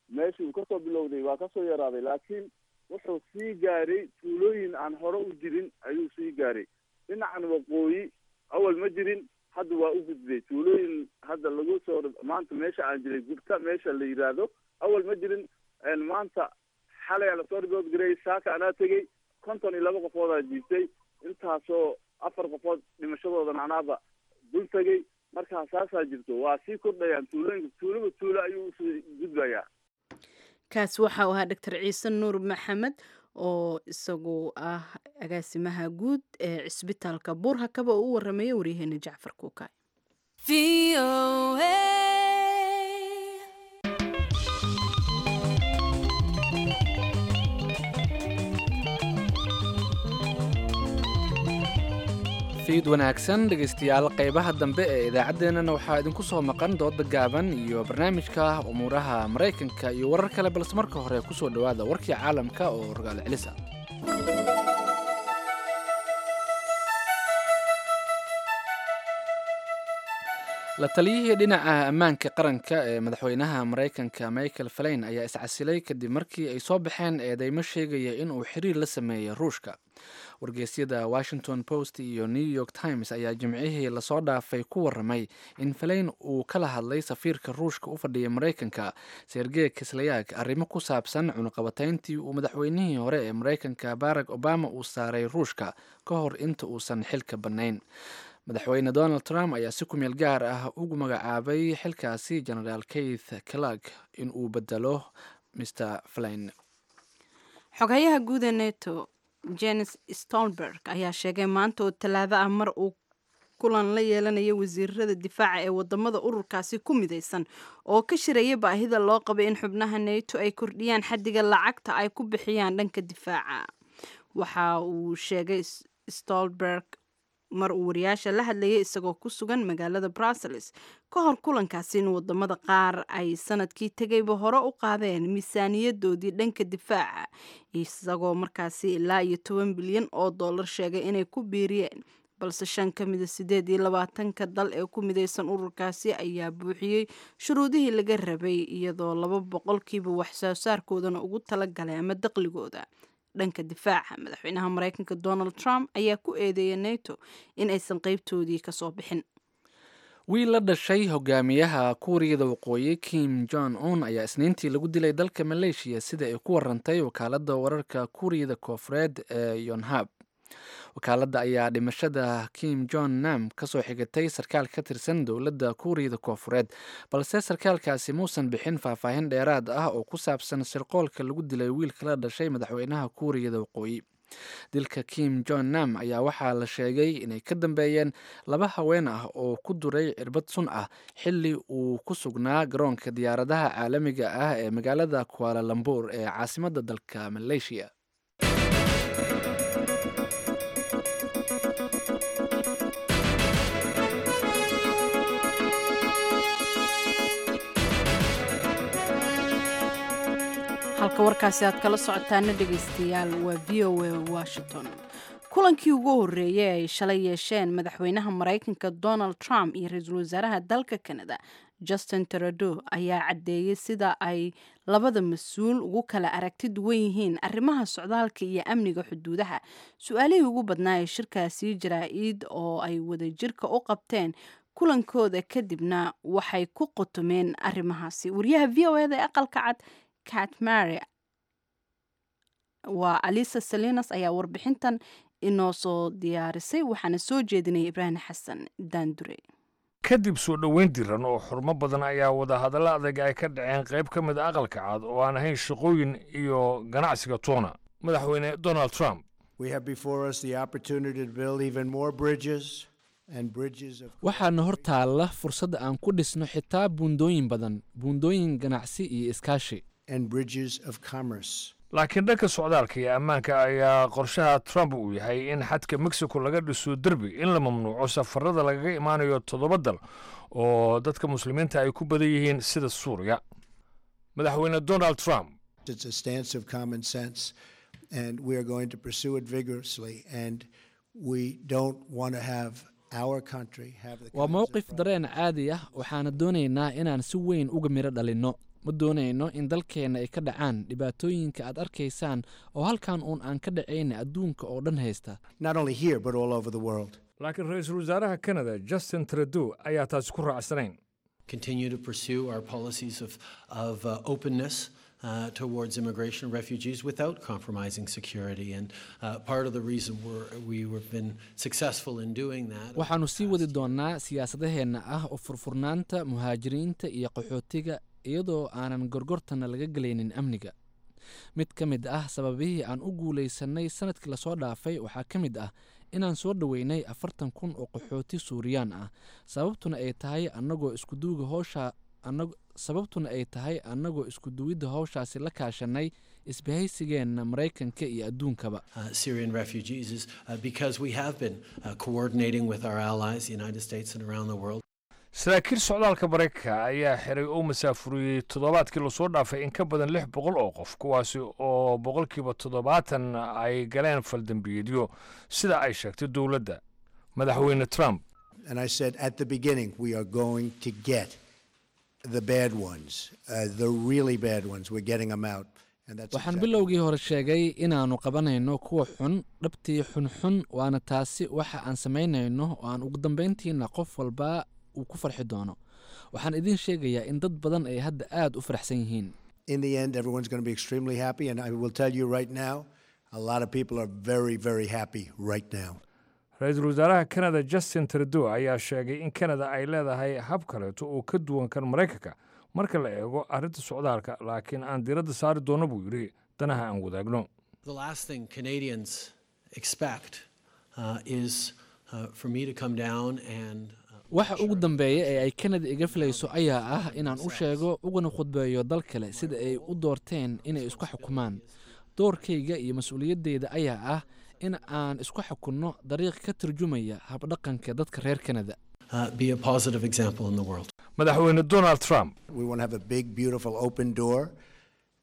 Meeshii uu kasoo bilowday waa kasoo yaraaday, laakiin wuxuu sii gaaray tuulooyin aan hore u jirin ayuu sii gaaray. Dhinacan waqooyi awal ma jirin, Hadda waa u gudbay tuulooyin hadda lagu soo maanta meesha aan jiray gubta meesha la yidhaahdo awal ma jirin. Maanta xalay lasoo ribood gareeyay, saaka anaa tegey, konton iyo laba qofoodaa jiibtay, intaasoo afar qofood dhimashadoodan anaaba dul tegey. Markaa saasaa jirto, waa sii kordhayaan tuulooyinka, tuulaba tuulo ayuu usii gudbayaa. Kaas waxa uu ahaa Doctor Ciise Nuur Maxamed oo isagu ah agaasimaha guud ee cisbitaalka Buurhakaba oo u warramaya waryaheena Jacfar Kuukaay. Fiid wanaagsan dhegaystayaal, qaybaha dambe ee idaacaddeenana waxaa idinku soo maqan dooda gaaban iyo barnaamijka umuuraha Maraykanka iyo warar kale, balse marka hore kusoo dhowaada warkii caalamka oo rogaal celisa. La taliyihii dhinaca ammaanka qaranka ee madaxweynaha Maraykanka Michael Flynn ayaa iscasilay kadib markii ay soo baxeen eedeymo sheegaya in uu xiriir la sameeyey Ruushka. Wargeysyada Washington Post iyo New York Times ayaa Jimcihii lasoo dhaafay ku waramay in Flynn uu kala hadlay safiirka Ruushka u fadhiya Maraykanka Sergey Kislyak arrimo ku saabsan cunuqabatayntii uu madaxweynihii hore ee Maraykanka Barack Obama uu saaray Ruushka ka hor inta uusan xilka bannayn. Madaxweyne Donald Trump ayaa si kumeel gaar ah ugu magacaabay xilkaasi Genaraal Keith Kellogg in uu bedelo Mister Flynn. Xoghayaha guud ee Nato Jens Stoltenberg ayaa sheegay maanta oo Talaado ah mar uu kulan la yeelanaya wasiirada difaaca ee wadamada ururkaasi ku midaysan oo ka shiraya baahida loo qabay in xubnaha Nato ay kordhiyaan xaddiga lacagta ay ku bixiyaan dhanka difaaca. Waxa uu sheegay Stoltenberg mar uu wariyaasha la hadlayay isagoo ku sugan magaalada Brussels ka hor kulankaasi in wadamada qaar ay sanadkii tegayba hore u qaadeen miisaaniyadoodii dhanka difaaca, isagoo markaasi ilaa iyo toban bilyan oo dollar sheegay inay ku biiriyeen, balse shan ka mida sideed iyo labaatanka dal ee ku midaysan ururkaasi ayaa buuxiyey shuruudihii laga rabay, iyadoo laba boqolkiiba waxsoo saarkoodana ugu talagalay ama daqligooda dhanka difaaca. Madaxweynaha Maraykanka Donald Trump ayaa ku eedeeyay Nato in aysan qaybtoodii kasoo bixin. Wiil la dhashay hogaamiyaha Kuuriyada Waqooyi Kim Jong Un ayaa Isniintii lagu dilay dalka Maleeshiya, sida ay ku warantay wakaaladda wararka Kuuriyada Koofureed ee Yonhap. Wakaaladda ayaa dhimashada Kim Jong Nam kasoo xigatay sarkaal ka tirsan dowladda Kuuriyada Koofureed, balse sarkaalkaasi muusan bixin faahfaahin dheeraad ah oo ku saabsan sirqoolka lagu dilay wiilka la dhashay madaxweynaha Kuuriyada Waqooyi. Dilka Kim Jong Nam ayaa waxaa la sheegay inay ka dambeeyeen laba haween ah oo ku duray cirbad sun ah xilli uu ku sugnaa garoonka diyaaradaha caalamiga ah ee magaalada Kuala Lumpur ee caasimadda dalka Malaysia. Halka warkaasi aad kala socotaana dhegaystayaal waa V O A Washington. Kulankii ugu horreeyay ay shalay yeesheen madaxweynaha Maraykanka Donald Trump iyo ra-iisul wasaaraha dalka Canada Justin Trudeau ayaa caddeeyey sida ay labada mas-uul ugu kala aragti duwan yihiin arrimaha socdaalka iyo amniga xuduudaha. Su-aalihii ugu badnaa ee shirkaasi jaraa-id oo ay wadajirka u qabteen kulankooda kadibna waxay ku qotomeen arrimahaasi. Wariyaha V O eda ee aqalka cad Kat Mary waa Alisa Salinas ayaa warbixintan inoo soo diyaarisay, waxaana soo jeedinaya Ibraahim Xasan Daandure. Kadib soo dhoweyn diran oo xurmo badan ayaa wadahadallo adag ay ka dhaceen qayb ka mid a aqalka cad oo aan ahayn shaqooyin iyo ganacsiga toona. Madaxweyne Donald Trump: Waxaana hor taalla fursad aan ku dhisno xitaa buundooyin badan, buundooyin ganacsi iyo iskaashi. Laakiin dhanka socdaalka iyo ammaanka ayaa qorshaha Trump uu yahay in xadka Mexico laga dhiso derbi, in la mamnuuco safarada lagaga imaanayo toddoba dal oo dadka muslimiinta ay ku badan yihiin sida Suuriya. Madaxweyne Donald Trump: Waa mowqif dareen caadi ah, waxaana doonaynaa inaan si weyn uga midho dhalinno. Ma doonayno in dalkeenna ay ka dhacaan dhibaatooyinka aad arkaysaan oo halkan uun aan ka dhacayna adduunka oo dhan haysta. Laakiin ra-iisul wasaaraha Canada Justin Trudeau ayaa taasi ku raacsanayn. Continue to pursue our policies of, of uh, openness uh, towards immigration and refugees without compromising security. And uh, part of the reason we're, we have been successful in doing that. Waxaannu sii wadi doonnaa siyaasadaheenna ah oo furfurnaanta muhaajiriinta iyo qaxootiga, iyadoo aanan gorgortana laga gelaynin amniga. Mid ka mid ah sababihii aan u guulaysanay sanadkii lasoo dhaafay waxaa ka mid ah inaan soo dhoweynay afartan kun oo qaxooti Suuriyaan ah, sababtuna ay tahay annagoo iskuduwiga howsha sababtuna ay tahay annagoo isku duwidda howshaasi la kaashanay isbahaysigeenna Maraykanka iyo adduunkaba. Uh, Syrian refugees is uh, because we have been uh, coordinating with our allies, the United States and around the world. Saraakiil socdaalka Maraykanka ayaa xiray oo masaafuriyey toddobaadkii lasoo dhaafay in ka badan lix boqol oo qof, kuwaasi oo boqolkiiba toddobaatan ay galeen faldambiyeedyo, sida ay sheegtay dowladda Madaxweyne Trump. And I said at the beginning, we are going to get the bad ones, uh, the really bad ones. We're getting them out. And that's Waxaan bilowgii hore sheegay inaannu qabanayno kuwa xun, dhabtii xunxun, waana taasi waxa aan samaynayno oo aan ugu dambayntiina qof walba uu ku farxi doono. Waxaan idiin sheegayaa in dad badan ay hadda aad u faraxsan yihiin. In the end, everyone's going to be extremely happy. And I will tell you right now, a lot of people are very, very happy right now. Ra-iisul wasaaraha Canada Justin Trudeau ayaa sheegay in Canada ay leedahay hab kaleeto oo ka duwan kan Maraykanka marka la eego arrinta socdaalka, laakiin aan diiradda saari doono, buu yidhi, danaha aan wadaagno. The last thing Canadians expect uh, is uh, for me to come down and Waxa ugu dambeeya ee ay Canada iga filayso ayaa ah inaan u sheego uguna khudbeeyo dal kale sida ay u doorteen inay isku xukumaan. Doorkayga iyo mas-uuliyaddeyda ayaa ah in aan isku xukunno dariiq ka turjumaya habdhaqanka dadka reer Canada. uh, be a positive example in the world. Madaxweyne Donald Trump. We want to have a big, beautiful open door,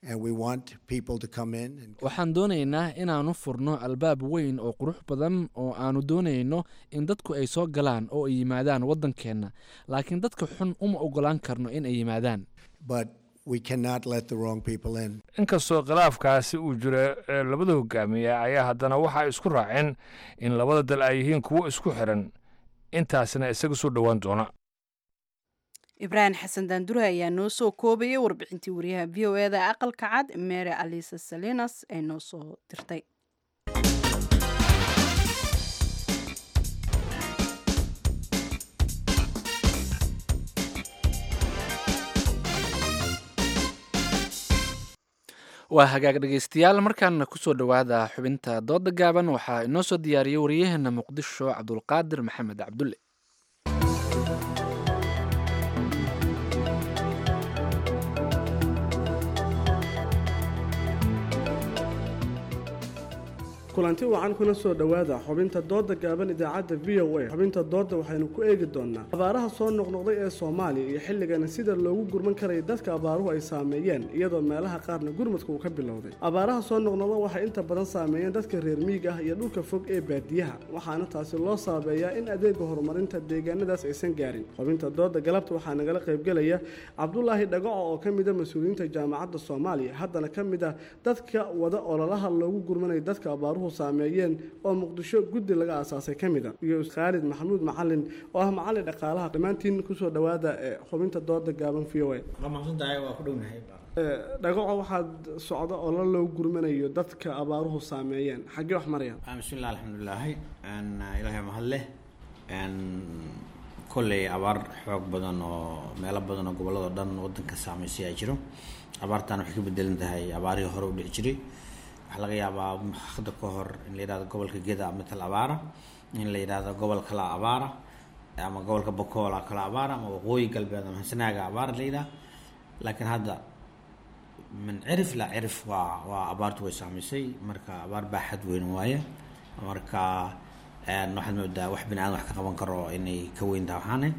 and we want people to come in. And Waxaan doonaynaa inaannu furno albaab weyn oo qurux badan oo aanu doonayno in dadku ay soo galaan oo ay yimaadaan waddankeenna, laakiin dadka xun uma oggolaan karno in ay yimaadaan. But we cannot let the wrong people in. Inkastoo khilaafkaasi uu jiro ee labada hogaamiye ayaa haddana waxay isku raaceen in labada dal ay yihiin kuwo isku xiran, intaasna isaga soo dhowaan doona. Ibraahim Xasan Daandure ayaa noo soo koobayay warbixintii wariyaha V O E da Aqalka Cad Mary Alisa Salinas ee noo soo dirtay. Waa hagaag, dhegeystayaal, markaana kusoo dhowaada xubinta dooda gaaban. Waxaa inoo soo diyaariyey wariyaheena Muqdisho Cabdulqaadir Maxamed Cabdulle. Kulanti wacan, kuna soo dhowaada xubinta dooda gaaban idaacadda V O A. Xubinta dooda waxaynu ku eegi doonaa abaaraha soo noqnoqday ee Soomaaliya iyo xilligana sida loogu gurman karaya dadka abaaruhu ay saameeyeen, iyadoo meelaha qaarna gurmadka uu ka bilowday. Abaaraha soo noqnoqda waxay inta badan saameeyeen dadka reer miyiga ah iyo dhulka fog ee baadiyaha, waxaana taasi loo saabeeyaa in adeega horumarinta deegaanadaas aysan gaarin. Xubinta dooda galabta waxaa nagala qaybgelaya Cabdulaahi Dhagaco oo ka mid a mas-uuliyiinta Jaamacadda Soomaaliya, haddana ka mid ah dadka wada ololaha loogu gurmanayo dadka abaaruhu saameeyeen oo Muqdisho guddi laga aasaasay ka mid a, iyo Khaalid Maxamuud Macalin oo ah macalin dhaqaalaha. Dhammaantiin kusoo dhowaada xubinta dooda gaaban V O A. Waa mahadsantahay, waa ku dhownahay. Dhagaco, waxaad socda ololo loogu gurmanayo dadka abaaruhu saameeyeen, xaggee wax marayaan? Bismillah, alxamdulilaahi, Ilaahay mahad leh. Kolley abaar xoog badan oo meelo badan oo gobollada dhan wadanka saameysay ayaa jiro. Abaartan waxay ka bedelan tahay abaarihii hore u dhici jiray. Waxaa laga yaabaa hadda ka hor in la yidhahdo gobolka Geda matal abaara, in la yidhahdo gobol kala abaara, ama gobolka Bokoola kala abaara, ama Waqooyi Galbeed ama Sanaaga abaara la yidhaha, laakiin hadda min cirif la cirif waa waa abaartu way saameysay. Marka abaar baaxad weyn waaye. Marka waxaad moodaa wax bini aadam wax ka qaban karo inay ka weyn tahay. Waxaane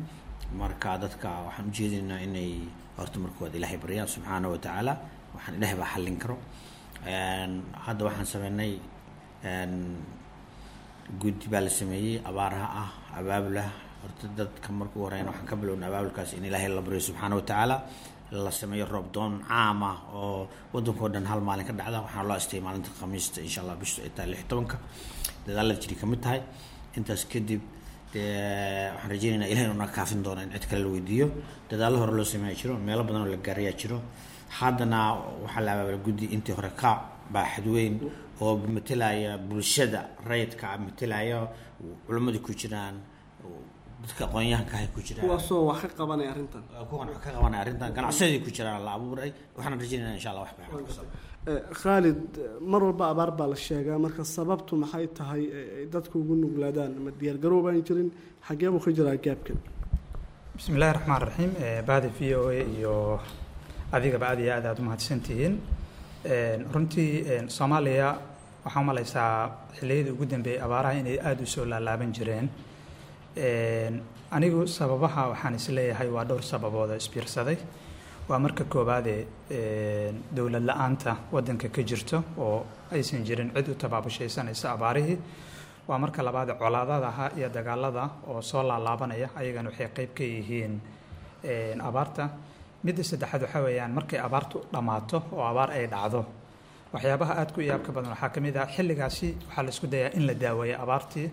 marka dadka waxaan ujeedinaynaa inay horta markood Ilaahay baryaan subxaana wa tacaala. Waxaan Ilaahay baa xallin karo. Hadda waxaan sameynay guddi baa la sameeyey abaaraha ah, abaabulah. Horta dadka marka u horeyna waxaan ka bilownay abaabulkaas in Ilaahay la baryo subxaana wa tacaala, la sameeyo roob doon caam ah oo waddankao dhan hal maalin ka dhacda. Waxaana loo astayay maalinta Khamiista, insha Allah, bishu ay tahay lix tobanka. Dadaalada jiri ka mid tahay. Intaas kadib Dee waxaan rajeynaynaa Ilahay inuu naga kaafin doono in cid kale la weydiiyo. Dadaallo hore loo sameeya jiro, meelo badan oo la gaarayaa jiro. Haddana waxaa la abaabulay guddi intii hore ka baaxad weyn oo matelaya bulshada rayidka, matelaya culimmadii ku jiraan, dadka aqoon-yahanka ay ku jiraan, kuwaasoo wax ka qabanaya arrintan. Kuwan wax ka qabanaya arrintan, ganacsadii ku jiraan la abuuray. Waxaan rajeynaynaa insha Allah wax baaxad. Khaalid, mar walba abaar baa la sheegaa, marka sababtu maxay tahay ay dadku ugu nuglaadaan? Ma diyaargarow baan jirin? Xagee buu ka jiraa gaabkan? Bismi illaahi raxmaan raxiim. Bahda V O A iyo adigaba aad iyo aad aad umahadsantihiin. Runtii Soomaaliya waxaa umalaysaa xilliyadii ugu dambeeyey abaaraha inay aada u soo laalaaban jireen. Anigu sababaha waxaan isleeyahay waa dhowr sababood oo isbiirsaday. Waa marka koowaade dowlad la-aanta waddanka ka jirto oo aysan jirin cid u tabaabushaysanaysa abaarihii. Waa marka labaade colaadadaha iyo dagaalada oo soo laalaabanaya, ayagana waxay qayb ka yihiin abaarta. Midda saddexaad waxaa weeyaan markay abaartu dhammaato oo abaar ay dhacdo, waxyaabaha aad ku iyaabka badan waxaa ka mid ah xilligaasi waxaa la isku dayaa in la daaweeyo abaartii,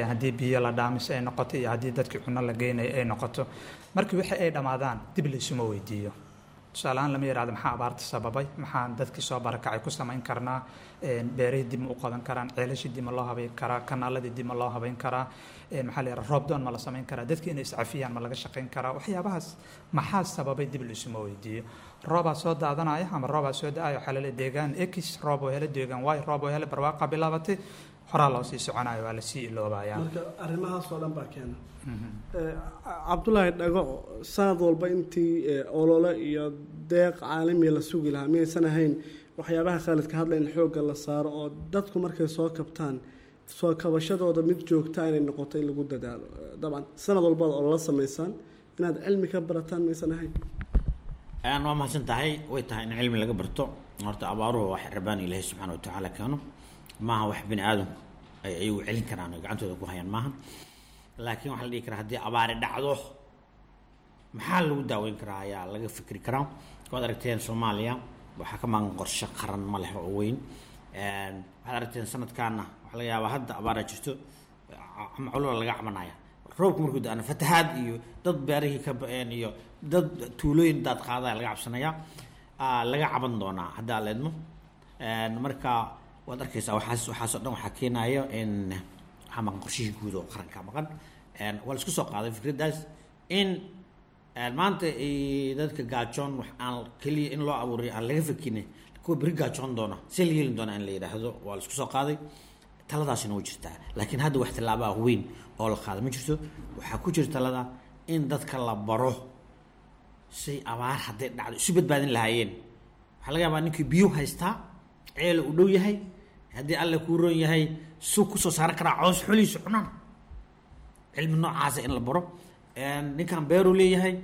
haddii biyo la dhaamis ay noqoto iyo haddii dadkii cunno la geynayo ay noqoto. Markii wixii ay dhammaadaan dib laysuma weydiiyo. Tusaale ahaan lama yidhahdo maxaa abaarta sababay, maxaan dadkii soo barakacay ku samayn karnaa, beerihii dib ma u qodan karaan, ceelashii dib ma loo habayn karaa, kanaaladii dib ma loo habayn karaa, maxaa la yidhahda roobdoon ma la samayn karaa, dadkii inay iscafiyaan ma laga shaqayn karaa. Waxyaabahaas maxaa sababay dib laisuma weydiiyo. Roobaa soo daadanaya ama roobaa soo da-ayo, waxaa laleeyahay deegaan X roob oo hele, deegaan Y roob oo hele, barwaaqa bilaabatay, horaa loo sii soconayo, waa lasii iloobayaa. Marka arrimahaas oo dhan baa keena. Cabdulaahi Dhago, sanad walba intii olole iyo deeq caalamiya la sugi lahaa, miyaysan ahayn waxyaabaha Khaalid ka hadlay in xoogga la saaro oo dadku markay soo kabtaan soo kabashadooda mid joogta inay noqoto in lagu dadaalo? Dabcan sanad walbaad olole samaysaan, inaad cilmi ka barataan miyaysan ahayn? Waa mahadsan tahay. Way tahay in cilmi laga barto. Horta abaaruhu wax rabaan Ilaahay subxaana watacaala keeno maaha, wax bini aadamku ay ayagu celin karaan oo gacantooda ku hayaan maaha. Laakiin waxaa la dhihi karaa haddii abaari dhacdo maxaa lagu daaweyn karaa ayaa laga fikri karaa. Waad aragteen Soomaaliya waxaa ka maqan qorshe qaran ma leh oo weyn. Waxaad aragteen sanadkaana waxaa laga yaabaa hadda abaaraa jirto ama culula laga cabanaya, roobku markuu da-ana fatahaad iyo dad beerihii ka ba-een iyo dad tuulooyin daad qaadaya laga cabsanaya, laga caban doonaa haddaa la idmo. Marka waad arkaysaa waxaas waxaas oo dhan waxaa keenayo in waxaa maqan qorshihii guud oo qaranka maqan. Waa la isku soo qaaday fikraddaas in maanta dadka gaajoon wax aan keliya in loo abuuriyo aan laga fikinin, kuwa beri gaajoon doona see la yeelin doona in la yidhaahdo waa la isku soo qaaday. Taladaasina way jirtaa, laakiin hadda wax tallaabaa weyn oo la qaada ma jirto. Waxaa ku jira talada in dadka la baro say abaar hadday dhacdo isu badbaadin lahaayeen. Waxaa laga yaabaa ninkii biyo haystaa ceela u dhow yahay, haddii Alle kuu roon yahay suuq kusoo saaran karaa coos xolihiisu cunaan, cilmi noocaasa in la baro. Ninkan beeruu leeyahay,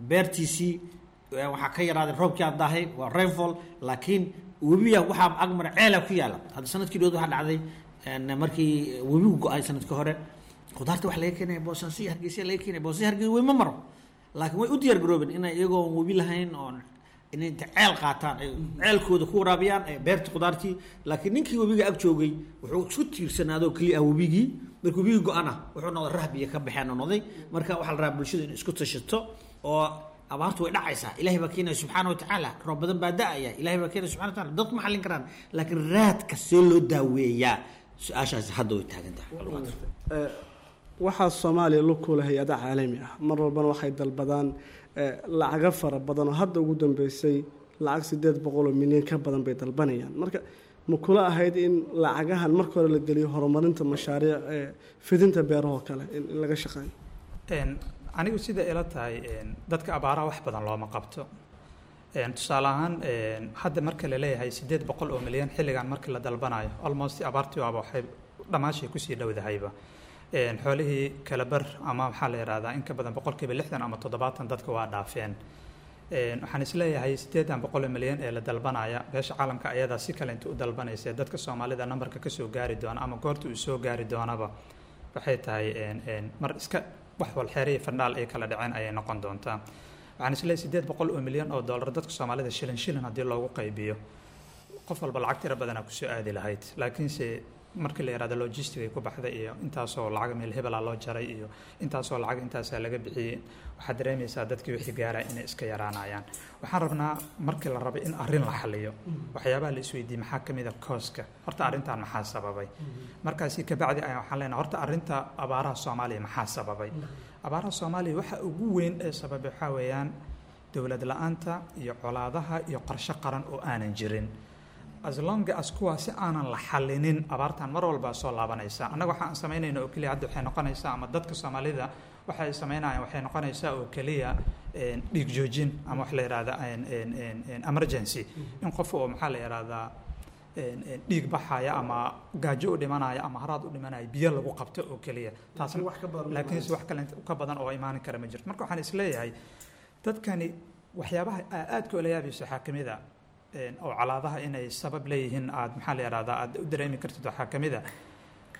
beertiisii waxaa ka yaraaday roobkii aad daahay, waa rainfall, laakiin webiya waxaa agmara ceelaa ku yaala. Hadda sanadkii dhood waxaa dhacday markii webigu go-ay sanadkii hore, khudaarta waxa laga keenaya Boosaaso iyo Hargeysa laga keenaya. Boosaaso Hargeysa wey ma maro, laakiin way u diyaar garoobeen inay iyagoon webi lahayn oon inay inta ceel qaataan ay ceelkooda ku waraabiyaan ee beerta khudaartii. Laakiin ninkii webiga ag joogay wuxuu isku tiirsanaadoo keliya ah webigii. Markii webigii go-ana wuxuu noqday rahbiya ka baxeen oo noqday. Marka waxaa la rabaa bulshada inay isku tashato oo abaartu way dhacaysaa, Ilaahay baa keenaya subxaana watacaala, roob badan baa da-aya, Ilaahay baa keenaya subxana wataala, dadku ma xallin karaan, laakiin raadka see loo daaweeyaa su-aashaasi hadda way taagan tahay. Waxaa Soomaaliya lug ku leh hay-ada caalami ah, mar walbana waxay dalbadaan lacago fara badan oo hadda ugu dambeysay lacag sideed boqol oo milyan ka badan bay dalbanayaan. Marka ma kula ahayd in lacagahan marka hore la geliyo horumarinta mashaariic ee fidinta beerahoo kale in in laga shaqeeyo? Anigu sida ila tahay dadka abaaraha wax badan looma qabto. Tusaale ahaan hadda marka la leeyahay sideed boqol oo milyan xilligan markii la dalbanayo, almost abaartii waaba waxay dhammaashay kusii dhowdahayba. Xoolihii kala bar ama maxaa la yidhahdaa in ka badan boqolkiiba lixdan ama toddobaatan dadka waa dhaafeen. Waxaan isleeyahay siddeedan boqol oo milyan ee la dalbanaya beesha caalamka ayadaa si kale inta u dalbanaysa dadka Soomaalida nambarka kasoo gaari doona ama goorta uu soo gaari doonaba waxay tahay mar iska wax walxeer iyo fandhaal ay kala dhaceen ayay noqon doontaa. Waxaan isleeyahay siddeed boqol oo milyan oo dollar dadka Soomaalida shilin shilin haddii loogu qaybiyo qof walba lacag tiro badanaa kusoo aadi lahayd, laakiinse Markii la yihahdo logistic ay ku baxday iyo intaasoo lacag meel hebelaa loo jaray iyo intaasoo lacag intaasaa laga bixiyey, waxaad dareemaysaa dadkii wixii gaaraya inay iska yaraanayaan. Waxaan rabnaa markii la rabo in arrin la xaliyo, waxyaabaha la isweydiiyey maxaa ka mid a kooska horta arrintan maxaa sababay? Markaasi kabacdi ayaan waxaan leenahay horta arrinta abaaraha Soomaaliya maxaa sababay? Abaaraha Soomaaliya waxa ugu weyn ee sababay waxaa weeyaan dowlad la-aanta iyo colaadaha iyo qorshe qaran oo aanan jirin. As long as kuwaasi aanan la xalinin, abaartan mar walbaa soo laabanaysa. Annaga waxa aan samaynayna oo keliya hadda waxay noqonaysaa, ama dadka Soomaalida waxa ay samaynayaan waxay noqonaysaa oo keliya dhiig joojin ama wax la yidhahda emergency, in qof oo maxaa la yidhahdaa dhiig baxaya ama gaajo u dhimanaya ama haraad u dhimanaya biyo lagu qabto oo keliya taas, laakiinse wax kale ka badan oo imaan kara ma jirto. Marka waxaan isleeyahay dadkani waxyaabaha aadka ula yaabayso waxaa ka mid a oo colaadaha inay sabab leeyihiin aad maxaa la yidhahdaa aad u dareemi kartid, waxaa ka mid a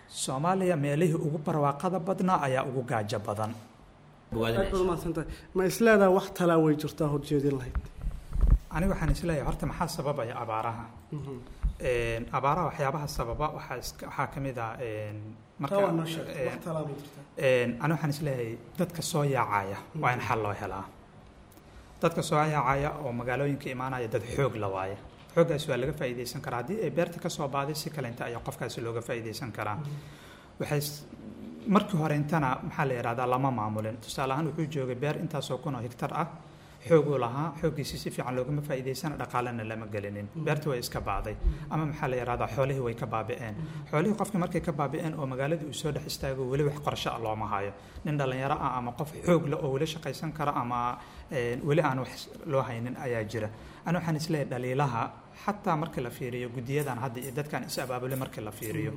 Soomaaliya meelihii ugu barwaaqada badnaa ayaa ugu gaajo badan. Aad baad umahadsantahay. Ma isleedaha wax talaa way jirtaa horjeedin lahayd? Aniga waxaan isleeyahay horta maxaa sababaya abaaraha? Abaaraha waxyaabaha sababa waxaa iska waxaa ka mid ah marka ani waxaan isleeyahay dadka soo yaacaya waa in xal loo helaa. Dadka soo yaacaya oo magaalooyinka imaanaya dad xoog la waaye, xooggaasi waa laga faa'iidaysan karaa. Haddii ay beerta ka soo baaday si kale inta ayaa qofkaasi looga faa'iidaysan karaa. Waxay markii hore intana maxaa la yidhahdaa lama maamulin. Tusaale ahaan wuxuu joogay beer intaasoo kun oo hektar ah, xooguu lahaa, xooggiisi si fiican loogama faa'iidaysana, dhaqaalena lama gelinin, beerta way iska baaday ama maxaa la yidhahdaa xoolihii way ka baabi'een. Xoolihii qofkii markay ka baabi'een oo magaaladii uu soo dhex istaago, weli wax qorshe ah looma hayo. Nin dhallinyaro ah ama qof xoog leh oo weli shaqaysan kara ama weli aan wax loo haynin ayaa jira. Ani waxaan isleeyahay dhaliilaha xataa marka la fiiriyo guddiyadan hadda iyo dadkan is abaabulay marka la fiiriyo,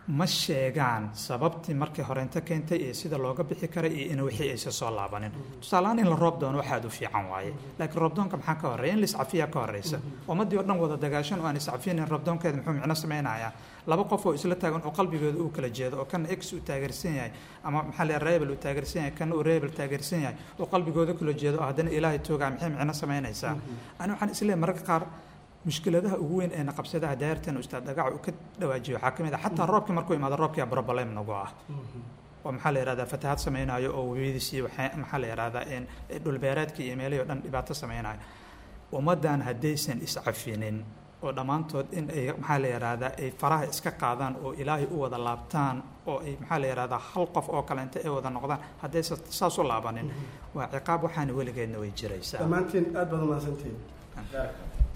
ma sheegaan sababtii markii horeynta keentay iyo sida looga bixi karay iyo in wixii aysan soo laabanin. Tusaaleahaan in la roob doono waxaad u fiican waaye, laakiin roobdoonka maxaa ka horreeya? In la iscafiyaa ka horreysa. Ummaddii oo dhan wada dagaashan oo aan iscafinin, roobdoonkeeda muxuu micno sameynayaa? Laba qof oo isla taagan oo qalbigooda uu kala jeedo, oo kana x uu taageersan yahay ama maxaa la rebel uu taageersan yahay, kana uu rebel taageersan yahay, oo qalbigooda kala jeedo oo haddana Ilaahay toogaa, maxay micno sameynaysaa? Ani waxaan isleeyahay mararka qaar mushkiladaha ugu weyn ee naqabsadaha daartan ustaad Dhagaca uu ka dhawaajiyo waxaa ka mid ah xataa roobkii markuu imaado, roobkii problem nagu ah oo maxaa la yihahdaa fatahaad sameynayo oo webiyadiisii waxaa maxaa la yihahdaa dhulbeereedkii iyo meelihii o dhan dhibaato sameynayo. Ummaddan haddaysan iscafinin oo dhammaantood in ay maxaa la yihahdaa ay faraha iska qaadaan oo Ilaahay u wada laabtaan oo ay maxaa la yihahdaa hal qof oo kale inta ay wada noqdaan, haddaysan saas u laabanin, waa ciqaab waxaana weligeedna way jiraysaa. Dhammaantiin aad baad umahadsantihiin.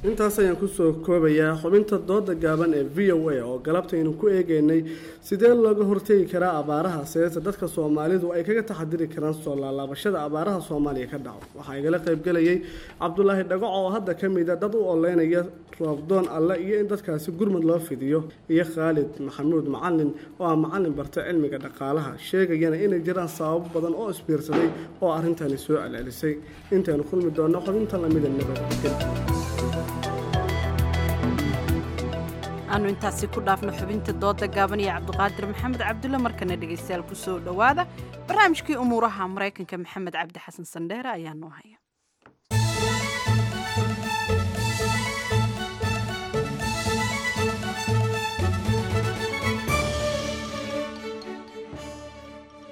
Intaas ayaan kusoo koobayaa xubinta dooda gaaban ee V O A oo galabtaynu ku eegeynay sidee looga hortegi karaa abaaraha, seese dadka Soomaalidu ay kaga taxadiri karaan soo laalaabashada abaaraha Soomaaliya ka dhaco. Waxaa igala qaybgelayay Cabdulaahi Dhagaco oo hadda ka mid a dad u oleynaya roobdoon alle iyo in dadkaasi gurmad loo fidiyo, iyo Khaalid Maxamuud Macalin oo ah macalin barta cilmiga dhaqaalaha, sheegayana inay jiraan sababo badan oo isbiirsaday oo arrintani soo celcelisay. Intaynu kulmi doonno xubinta lamida, nabadgel. Aanu intaasi ku dhaafno xubinta dooda gaaban iyo Cabdiqaadir Maxamed Cabdulle. Markana dhegaystayaal ku soo dhowaada barnaamijkii umuuraha Maraykanka. Maxamed Cabdi Xasan Sandheere ayaa noo haya.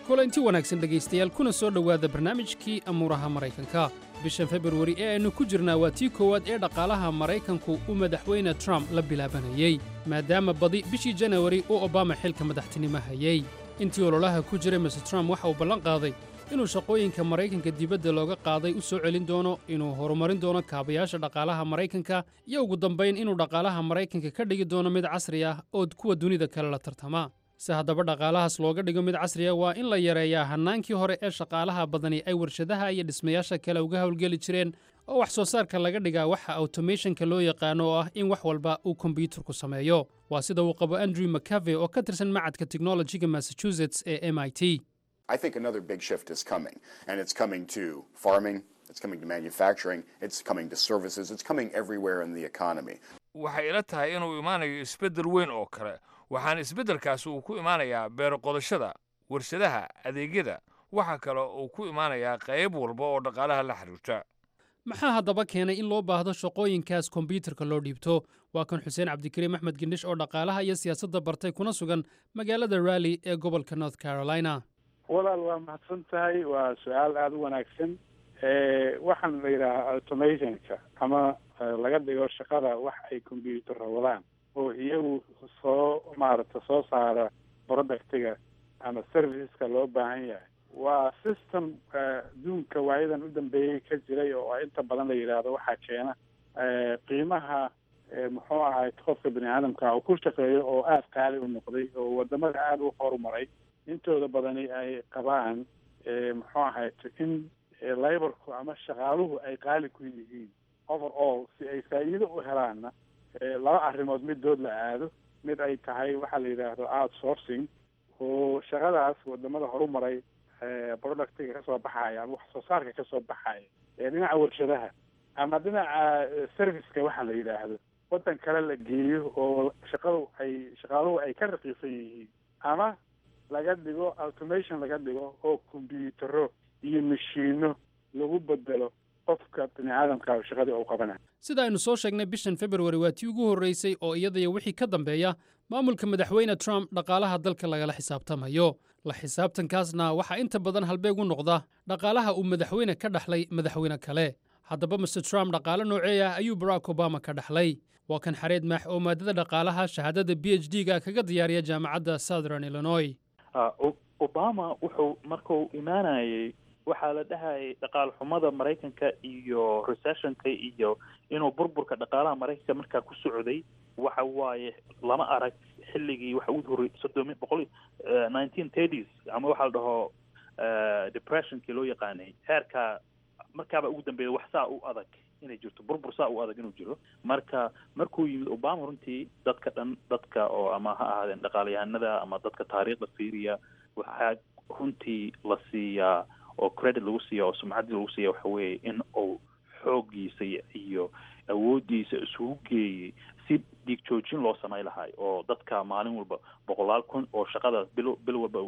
Kulanti wanaagsan dhegaystayaal, kuna soo dhowaada barnaamijkii amuuraha Maraykanka. Bishan Februari ee aynu ku jirnaa waa tii koowaad ee dhaqaalaha Maraykanku uu Madaxweyne Trump la bilaabanayey, maadaama badi bishii Janawari uu Obama xilka madaxtinimo hayey. Intii ololaha ku jiray, Mister Trump waxa uu ballan qaaday inuu shaqooyinka Maraykanka dibadda looga qaaday u soo celin doono, inuu horumarin doono kaabayaasha dhaqaalaha Maraykanka iyo ugu dambayn inuu dhaqaalaha Maraykanka ka dhigi doono mid casri ah oo kuwa dunida kale la tartama. Si haddaba dhaqaalahaas looga dhigo mid casri ah, waa in la yareeyaa hannaankii hore ee shaqaalaha badani ay warshadaha iyo dhismayaasha kale uga howlgeli jireen, oo wax soo saarka laga dhigaa waxa automationka loo yaqaano, oo ah in wax walba uu kombyuutarku sameeyo. Waa sida uu qabo Andrew McCabe oo ka tirsan macadka technologiga Massachusetts ee M I T. I think another big shift is coming, and it's coming to farming, it's coming to manufacturing, it's coming to services, it's coming everywhere in the economy. Waxay ila tahay inuu imaanayo isbeddel weyn oo kale, waxaana isbeddelkaasi uu ku imaanayaa beero qodashada, warshadaha, adeegyada. Waxa kale uu ku imaanayaa qayb walba oo dhaqaalaha la xiriirta. Maxaa haddaba keenay in loo baahdo shaqooyinkaas kombyuutarka loo dhiibto? Waa kan Xuseen Cabdikariim Axmed Gendhish oo dhaqaalaha iyo siyaasadda bartay, kuna sugan magaalada Raleigh ee gobolka North Carolina. Walaal, waa mahadsan tahay. Waa su-aal aada u wanaagsan. Waxaan la yidhaahaa automationka ama laga dhigo shaqada wax ay combyuutarra wadaan oo iyagu soo maaragta soo saara productiga ama serviceska loo baahan yahay, waa system adduunka waayadan u dambeeyey ka jiray oo inta badan la yidhaahdo waxaa keena qiimaha, muxuu ahay, qofka bini aadamka uu ku shaqeeyo oo aada qaali u noqday, oo wadamada aada u horumaray intooda badani ay qabaan, muxuu ahay, in laborku ama shaqaaluhu ay qaali ku yihiin overall. Si ay faa'iido u helaanna, laba arrimood midood la aado: mid ay tahay waxaa la yidhaahdo outsourcing, oo shaqadaas wadamada horumaray productiga kasoo baxaya ama wax soo saarka kasoo baxaya ee dhinaca warshadaha ama dhinaca serviceka waxa la yidhaahdo waddan kale la geeyo oo shaqadu ay shaqaaluhu ay ka raqiisan yihiin, ama laga dhigo automation laga dhigo oo combyutaro iyo mashiino lagu bedelo qofka bini aadamka shaqadii uu qabanayo. Sida aynu soo sheegnay, bishan Februari waa tii ugu horreysay oo iyadaiyo wixii ka dambeeya maamulka Madaxweyne Trump dhaqaalaha dalka lagala xisaabtamayo. La xisaabtankaasna waxaa inta badan halbeeg u noqda dhaqaalaha uu madaxweyne ka dhaxlay madaxweyne kale. Haddaba, Mister Trump dhaqaale noocee ah ayuu Barack Obama ka dhaxlay? Waa kan Xareed Maax oo maadada dhaqaalaha shahaadada P H D-ga kaga diyaariya Jaamacadda Southern Illinois. Obama wuxuu markuu imaanayay waxaa la dhahayay dhaqaal xumada Maraykanka iyo recessionka iyo inuu burburka dhaqaalaha Maraykanka markaa ku socday waxa waaye lama arag xilligii waxa ugu horrey soddon boqol nineteen thirties ama waxaa la dhaho depressionkii loo yaqaanay, heerka markaaba ugu dambeeya wax saa u adag inay jirto, burbur saa u adag inuu jiro. Marka markuu yimid Obama, runtii dadka dhan, dadka oo ama ha ahaadeen dhaqaalayahanada ama dadka taariikhda fiiriya, waxaa runtii la siiyaa oo credit lagu siiya oo sumcaddii lagu siiya waxa weeye in uu xooggiisa iyo awooddiisa isugu geeyey si dhiig joojin loo samay lahay oo dadka maalin walba boqolaal kun oo shaqada bil bil walba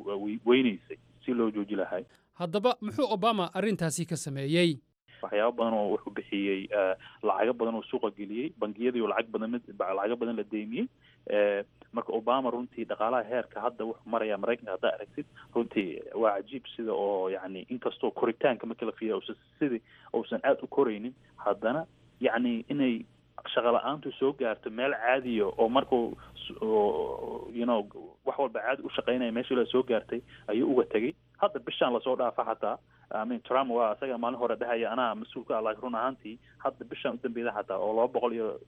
weynaysay si loo jooji lahay. Haddaba, muxuu Obama arrintaasi ka sameeyey? Waxyaabo badan oo wuxuu bixiyey, lacago badan oo suuqa geliyey, bangiyadii oo lacag badan lacago badan la deymiyey. Marka Obama runtii dhaqaalaha heerka hadda wuxuu maraya Maraykanka haddaa aragtid, runtii waa cajiib sida oo yacni inkastoo koritaanka markii la fiiriya uusan sidii uusan aada u koraynin, haddana yacni inay shaqa la-aantu soo gaarto meel caadiya oo markuu you know wax walba caadi u shaqaynaya meeshii la soo gaartay ayuu uga tegey. Hadda bishaan lasoo dhaafa xataa, I mean, Trump waa isaga maalin hore dhahaya anaa mas-uul ka ah, laakiin run ahaantii hadda bishaan u dambeyda xataa oo laba boqol iyo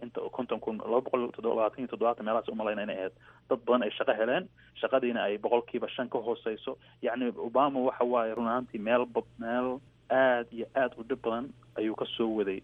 inta konton kun, laba boqol toddoba labaatan iyo toddobaatan meelahaas umalayna inay ahayd, dad badan ay shaqo heleen, shaqadiina ay boqolkiiba shan ka hooseyso. Yacni Obama waxa waaye run ahaantii meel meel aad iyo aad u dhib badan ayuu ka soo waday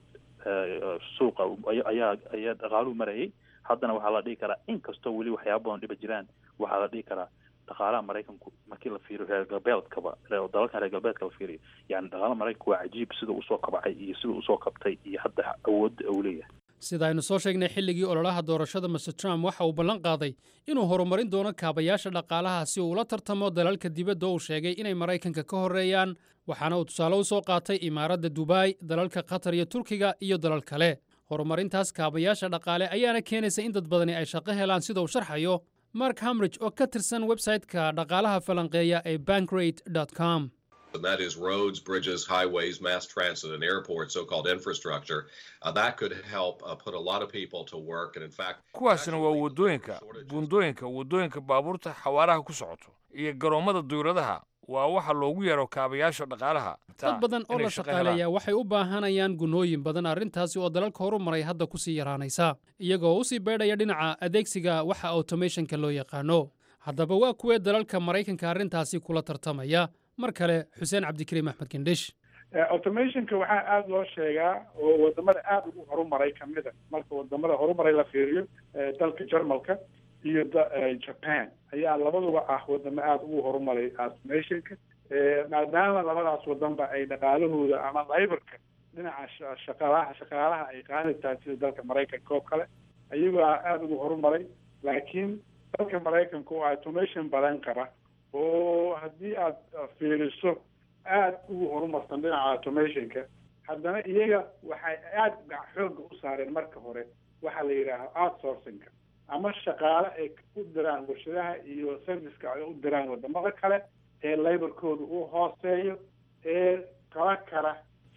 suuqa ayaa ayaa dhaqaaluhu marayay. Haddana waxaa la dhihi karaa, inkastoo weli waxyaaba badan dhiba jiraan, waxaa la dhihi karaa dhaqaalaha Maraykanku markii la fiiriyo reer galbeedkaba, dalalkan reer galbeedka la fiiriyo, yani dhaqaalaha Maraykanku waa cajiib sida usoo kabcay iyo sida usoo kabtay iyo hadda awoodda uu leeyahay. Sida aynu soo sheegnay, xilligii ololaha doorashada Mister Trump waxa uu ballan qaaday inuu horumarin doono kaabayaasha dhaqaalaha si uu ula tartamo dalalka dibadda uu sheegay inay Maraykanka ka horreeyaan, waxaana uu tusaale u soo qaatay Imaaradda Dubai, dalalka Qatar iyo Turkiga iyo dalal kale. Horumarintaas kaabayaasha dhaqaale ayaana keenaysa in dad badani ay shaqo helaan, sida uu sharxayo Mark Hamrich oo ka tirsan website-ka dhaqaalaha falanqeeya ee bankrate com. And that is roads, bridges, highways, mass transit, and airports, so-called infrastructure. Uh, that could help uh, put a lot of people to work. And in fact, Kuwaasina waa waddooyinka, buundooyinka, waddooyinka baabuurta xawaaraha ku socoto iyo garoommada duyuradaha. Waa waxa loogu yeero kaabayaasha dhaqaalaha. Dad badan oo inay la shaqo helaan. shaqaaleeyaa waxay u baahanayaan gunooyin badan, arrintaasi oo dalalka horumaray hadda kusii yaraanaysa, iyagoo usii beedhaya dhinaca adeegsiga waxa automationka loo yaqaano. Haddaba, waa kuwee dalalka Maraykanka arrintaasi kula tartamaya? Mar kale Xuseen Cabdikariim Axmed Gendhish. Automationka waxaa aada loo sheegaa oo wadamada aada ugu horumaray kamida, marka wadamada horumaray la fiiriyo, eh, dalka Jarmalka iyo da- eh, Japan ayaa labaduba ah wadamo aada ugu horumaray automationka. Eh, maadaama labadaas wadanba ay dhaqaalahooda ama laborka dhinaca sha- shaqaalaha shaqaalaha ay qaali tahay sida dalka Maraykanka oo kale, ayagoo aada ugu horumaray. Laakiin dalka Maraykanka oo automation badan qaba oo haddii aad fiiriso aada ugu horumarsan dhinaca automationka, Haddana iyaga waxay aada xoogga u saareen marka hore waxaa la yidhaaha outsourcingka, ama shaqaale ay u diraan warshadaha iyo serviceka ay u diraan wadamada kale ee laborkooda uu hooseeyo ee qaba kara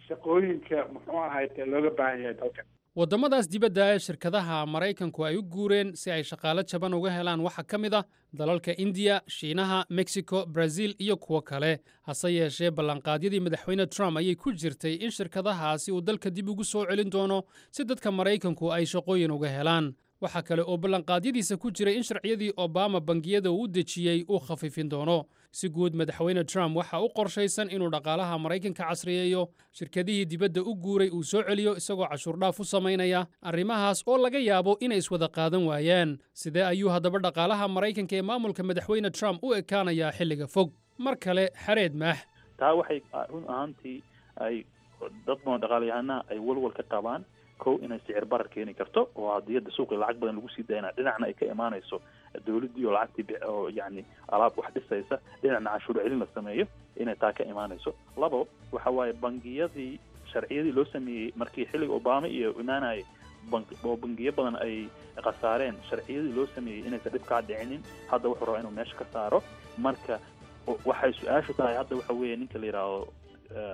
shaqooyinka muxuu ahayte looga baahan yahay dalka. Waddamadaas dibadda ee shirkadaha Maraykanku ay u guureen si ay shaqaale jaban uga helaan waxaa ka mid ah dalalka Indiya, Shiinaha, Mexico, Brazil iyo kuwo kale. Hase yeeshee, ballanqaadyadii Madaxweyne Trump ayay ku jirtay in shirkadahaasi uu dalka dib ugu soo celin doono si dadka Maraykanku ay shaqooyin uga helaan. Waxaa kale oo ballanqaadyadiisa ku jiray in sharciyadii Obama bangiyada uu u dejiyey uu khafiifin doono. Si guud, Madaxweyne Trump waxa u qorshaysan inuu dhaqaalaha Maraykanka casriyeeyo, shirkadihii dibadda u guuray uu soo celiyo isagoo cashuurdhaaf u samaynaya, arrimahaas oo laga yaabo inay iswada qaadan waayaan. Sidee ayuu haddaba dhaqaalaha Maraykanka ee maamulka Madaxweyne Trump u ekaanayaa xilliga fog? Mar kale Xareed Maax. Taa waxay run ahaantii ay dad badan dhaqaalayahanaha ay walwal ka qabaan, kow, inay sicir barar keeni karto oo haddii hadda suuqii lacag badan lagu sii dayna, dhinacna ay ka imaanayso dowladdii oo lacagtii oo yacni alaab wax dhisaysa, dhinacna canshuur celin la sameeyo, inay taa ka imaanayso. Labo, waxa waaye bangiyadii sharciyadii loo sameeyey markii xilliga Obama iyo imaanayay bank oo bangiyo badan ay khasaareen, sharciyadii loo sameeyey inaysan dhib kaa dhicinin, hadda wuxuu rabaa inuu meesha ka saaro. Marka waxay su-aashu tahay hadda waxa weeye, ninka la yidhaahdo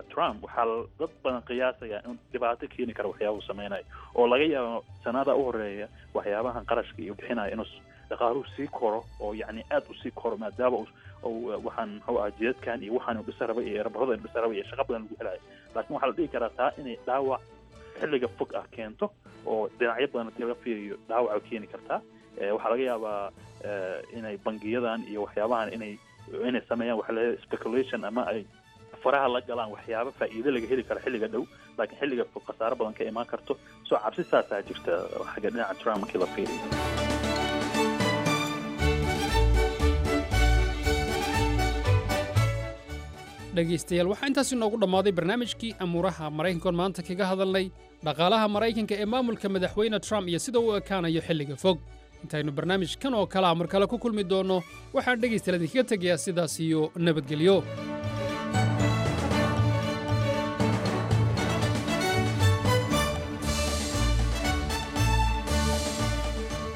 Trump waxaa dad badan qiyaasaya inuu dhibaato keeni karo waxyaabuhu sameynayo, oo laga yaabo sanada u horeeya waxyaabahan qarashka iyo bixinayo inuu dhaqaaluhu sii koro oo yacni aad u sii koro, maadaama waxaan muxuu aha jidadkan iyo waxaan uu dhisa rabay iyo erabarada uu dhisa rabay iyo shaqo badan lagu helayo. Laakiin waxaa la dhihi karaa taa inay dhaawac xilliga fog ah keento oo dhinacyo badan hadii laga fiiriyo dhaawac keeni kartaa. Waxaa laga yaabaa inay bangiyadan iyo waxyaabahan inay inay sameeyaan waxa la speculation ama ay faraha la galaan waxyaabo faa'iido laga heli karo xilliga dhow, laakiin xilliga fog khasaaro badan ka imaan karto. Soo cabsi saasaa jirta xagga dhinaca Trump markii la fiiriyo. Dhegaystayaal, waxaa intaasi noogu dhammaaday barnaamijkii amuuraha Maraykankoon maanta kaga hadalnay dhaqaalaha Maraykanka ee maamulka Madaxweyne Trump iyo sida uu ekaanayo xilliga fog. Intaynu barnaamijkan oo kalea mar kale ku kulmi doonno, waxaan dhegaystayaal idinkaga tegayaa sidaas iyo nabadgelyo.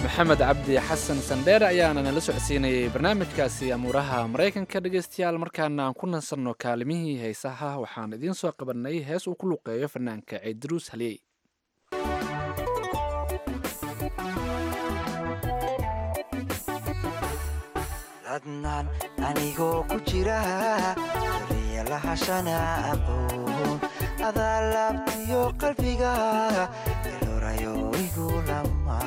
Maxamed Cabdi Xasan Sandheere ayaana nala socodsiinayay barnaamijkaasi amuuraha Maraykanka. Dhegaystayaal, markaana aan ku nasanno kaalimihii heesaha. Waxaan idiin soo qabanay hees uu ku luqeeyo fanaanka Ciidruus Haliyey. Ladnaan anigoo ku jira daryalahashana aqoon adaa laabtiyo qalbiga elorayo igu lama.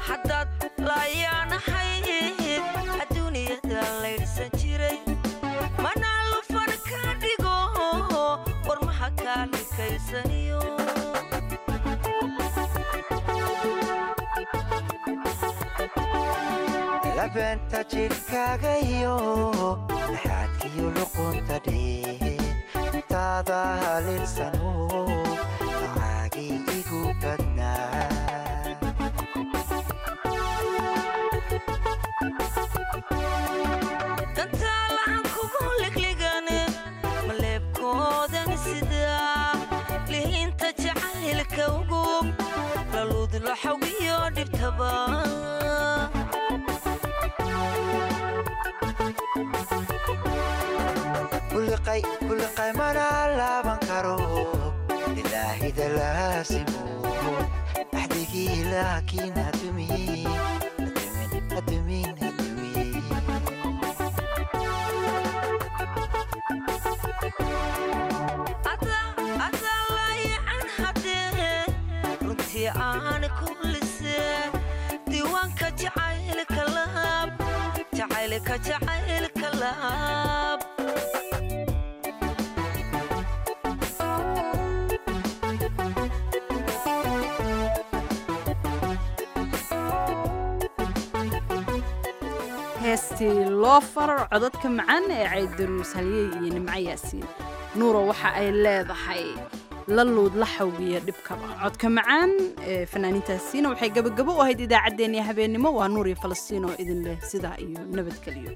Haddaad laayaanahayd adduunyada laydhsan jiray, mana lufan ka dhigo warmaha kaa likaysaniyo. Labeenta jidhkaaga iyo laxaadkiyo luqunta dheer intaada haleelsano macaagii igu badnaa. Dantaa lacan kugu ligligan maleebkoodan sidaa lihinta jacaylka ugub laluudlaxawiyo dhibtaba. Kuliqay mana laaban karo ilaahida laasimo axdigii, laakiin hadumin hadumin hadumin. Adaa laayacan haddee runtii aan ku lisee diiwaanka jacaylka laab, jacaylka jacaylka laab. Heestii loo faro, codadka macaan ee Caydaruus Halyey iyo Nimco Yaasiin Nuuro, waxa ay leedahay la luud la xawgiyo dhibkaba. Codka macaan ee fanaaniintaasiina waxay gabagabo u ahayd idaacaddeenii habeennimo. Waa Nuur iyo Falastiin oo idin leh sidaa iyo nabadgeliyo.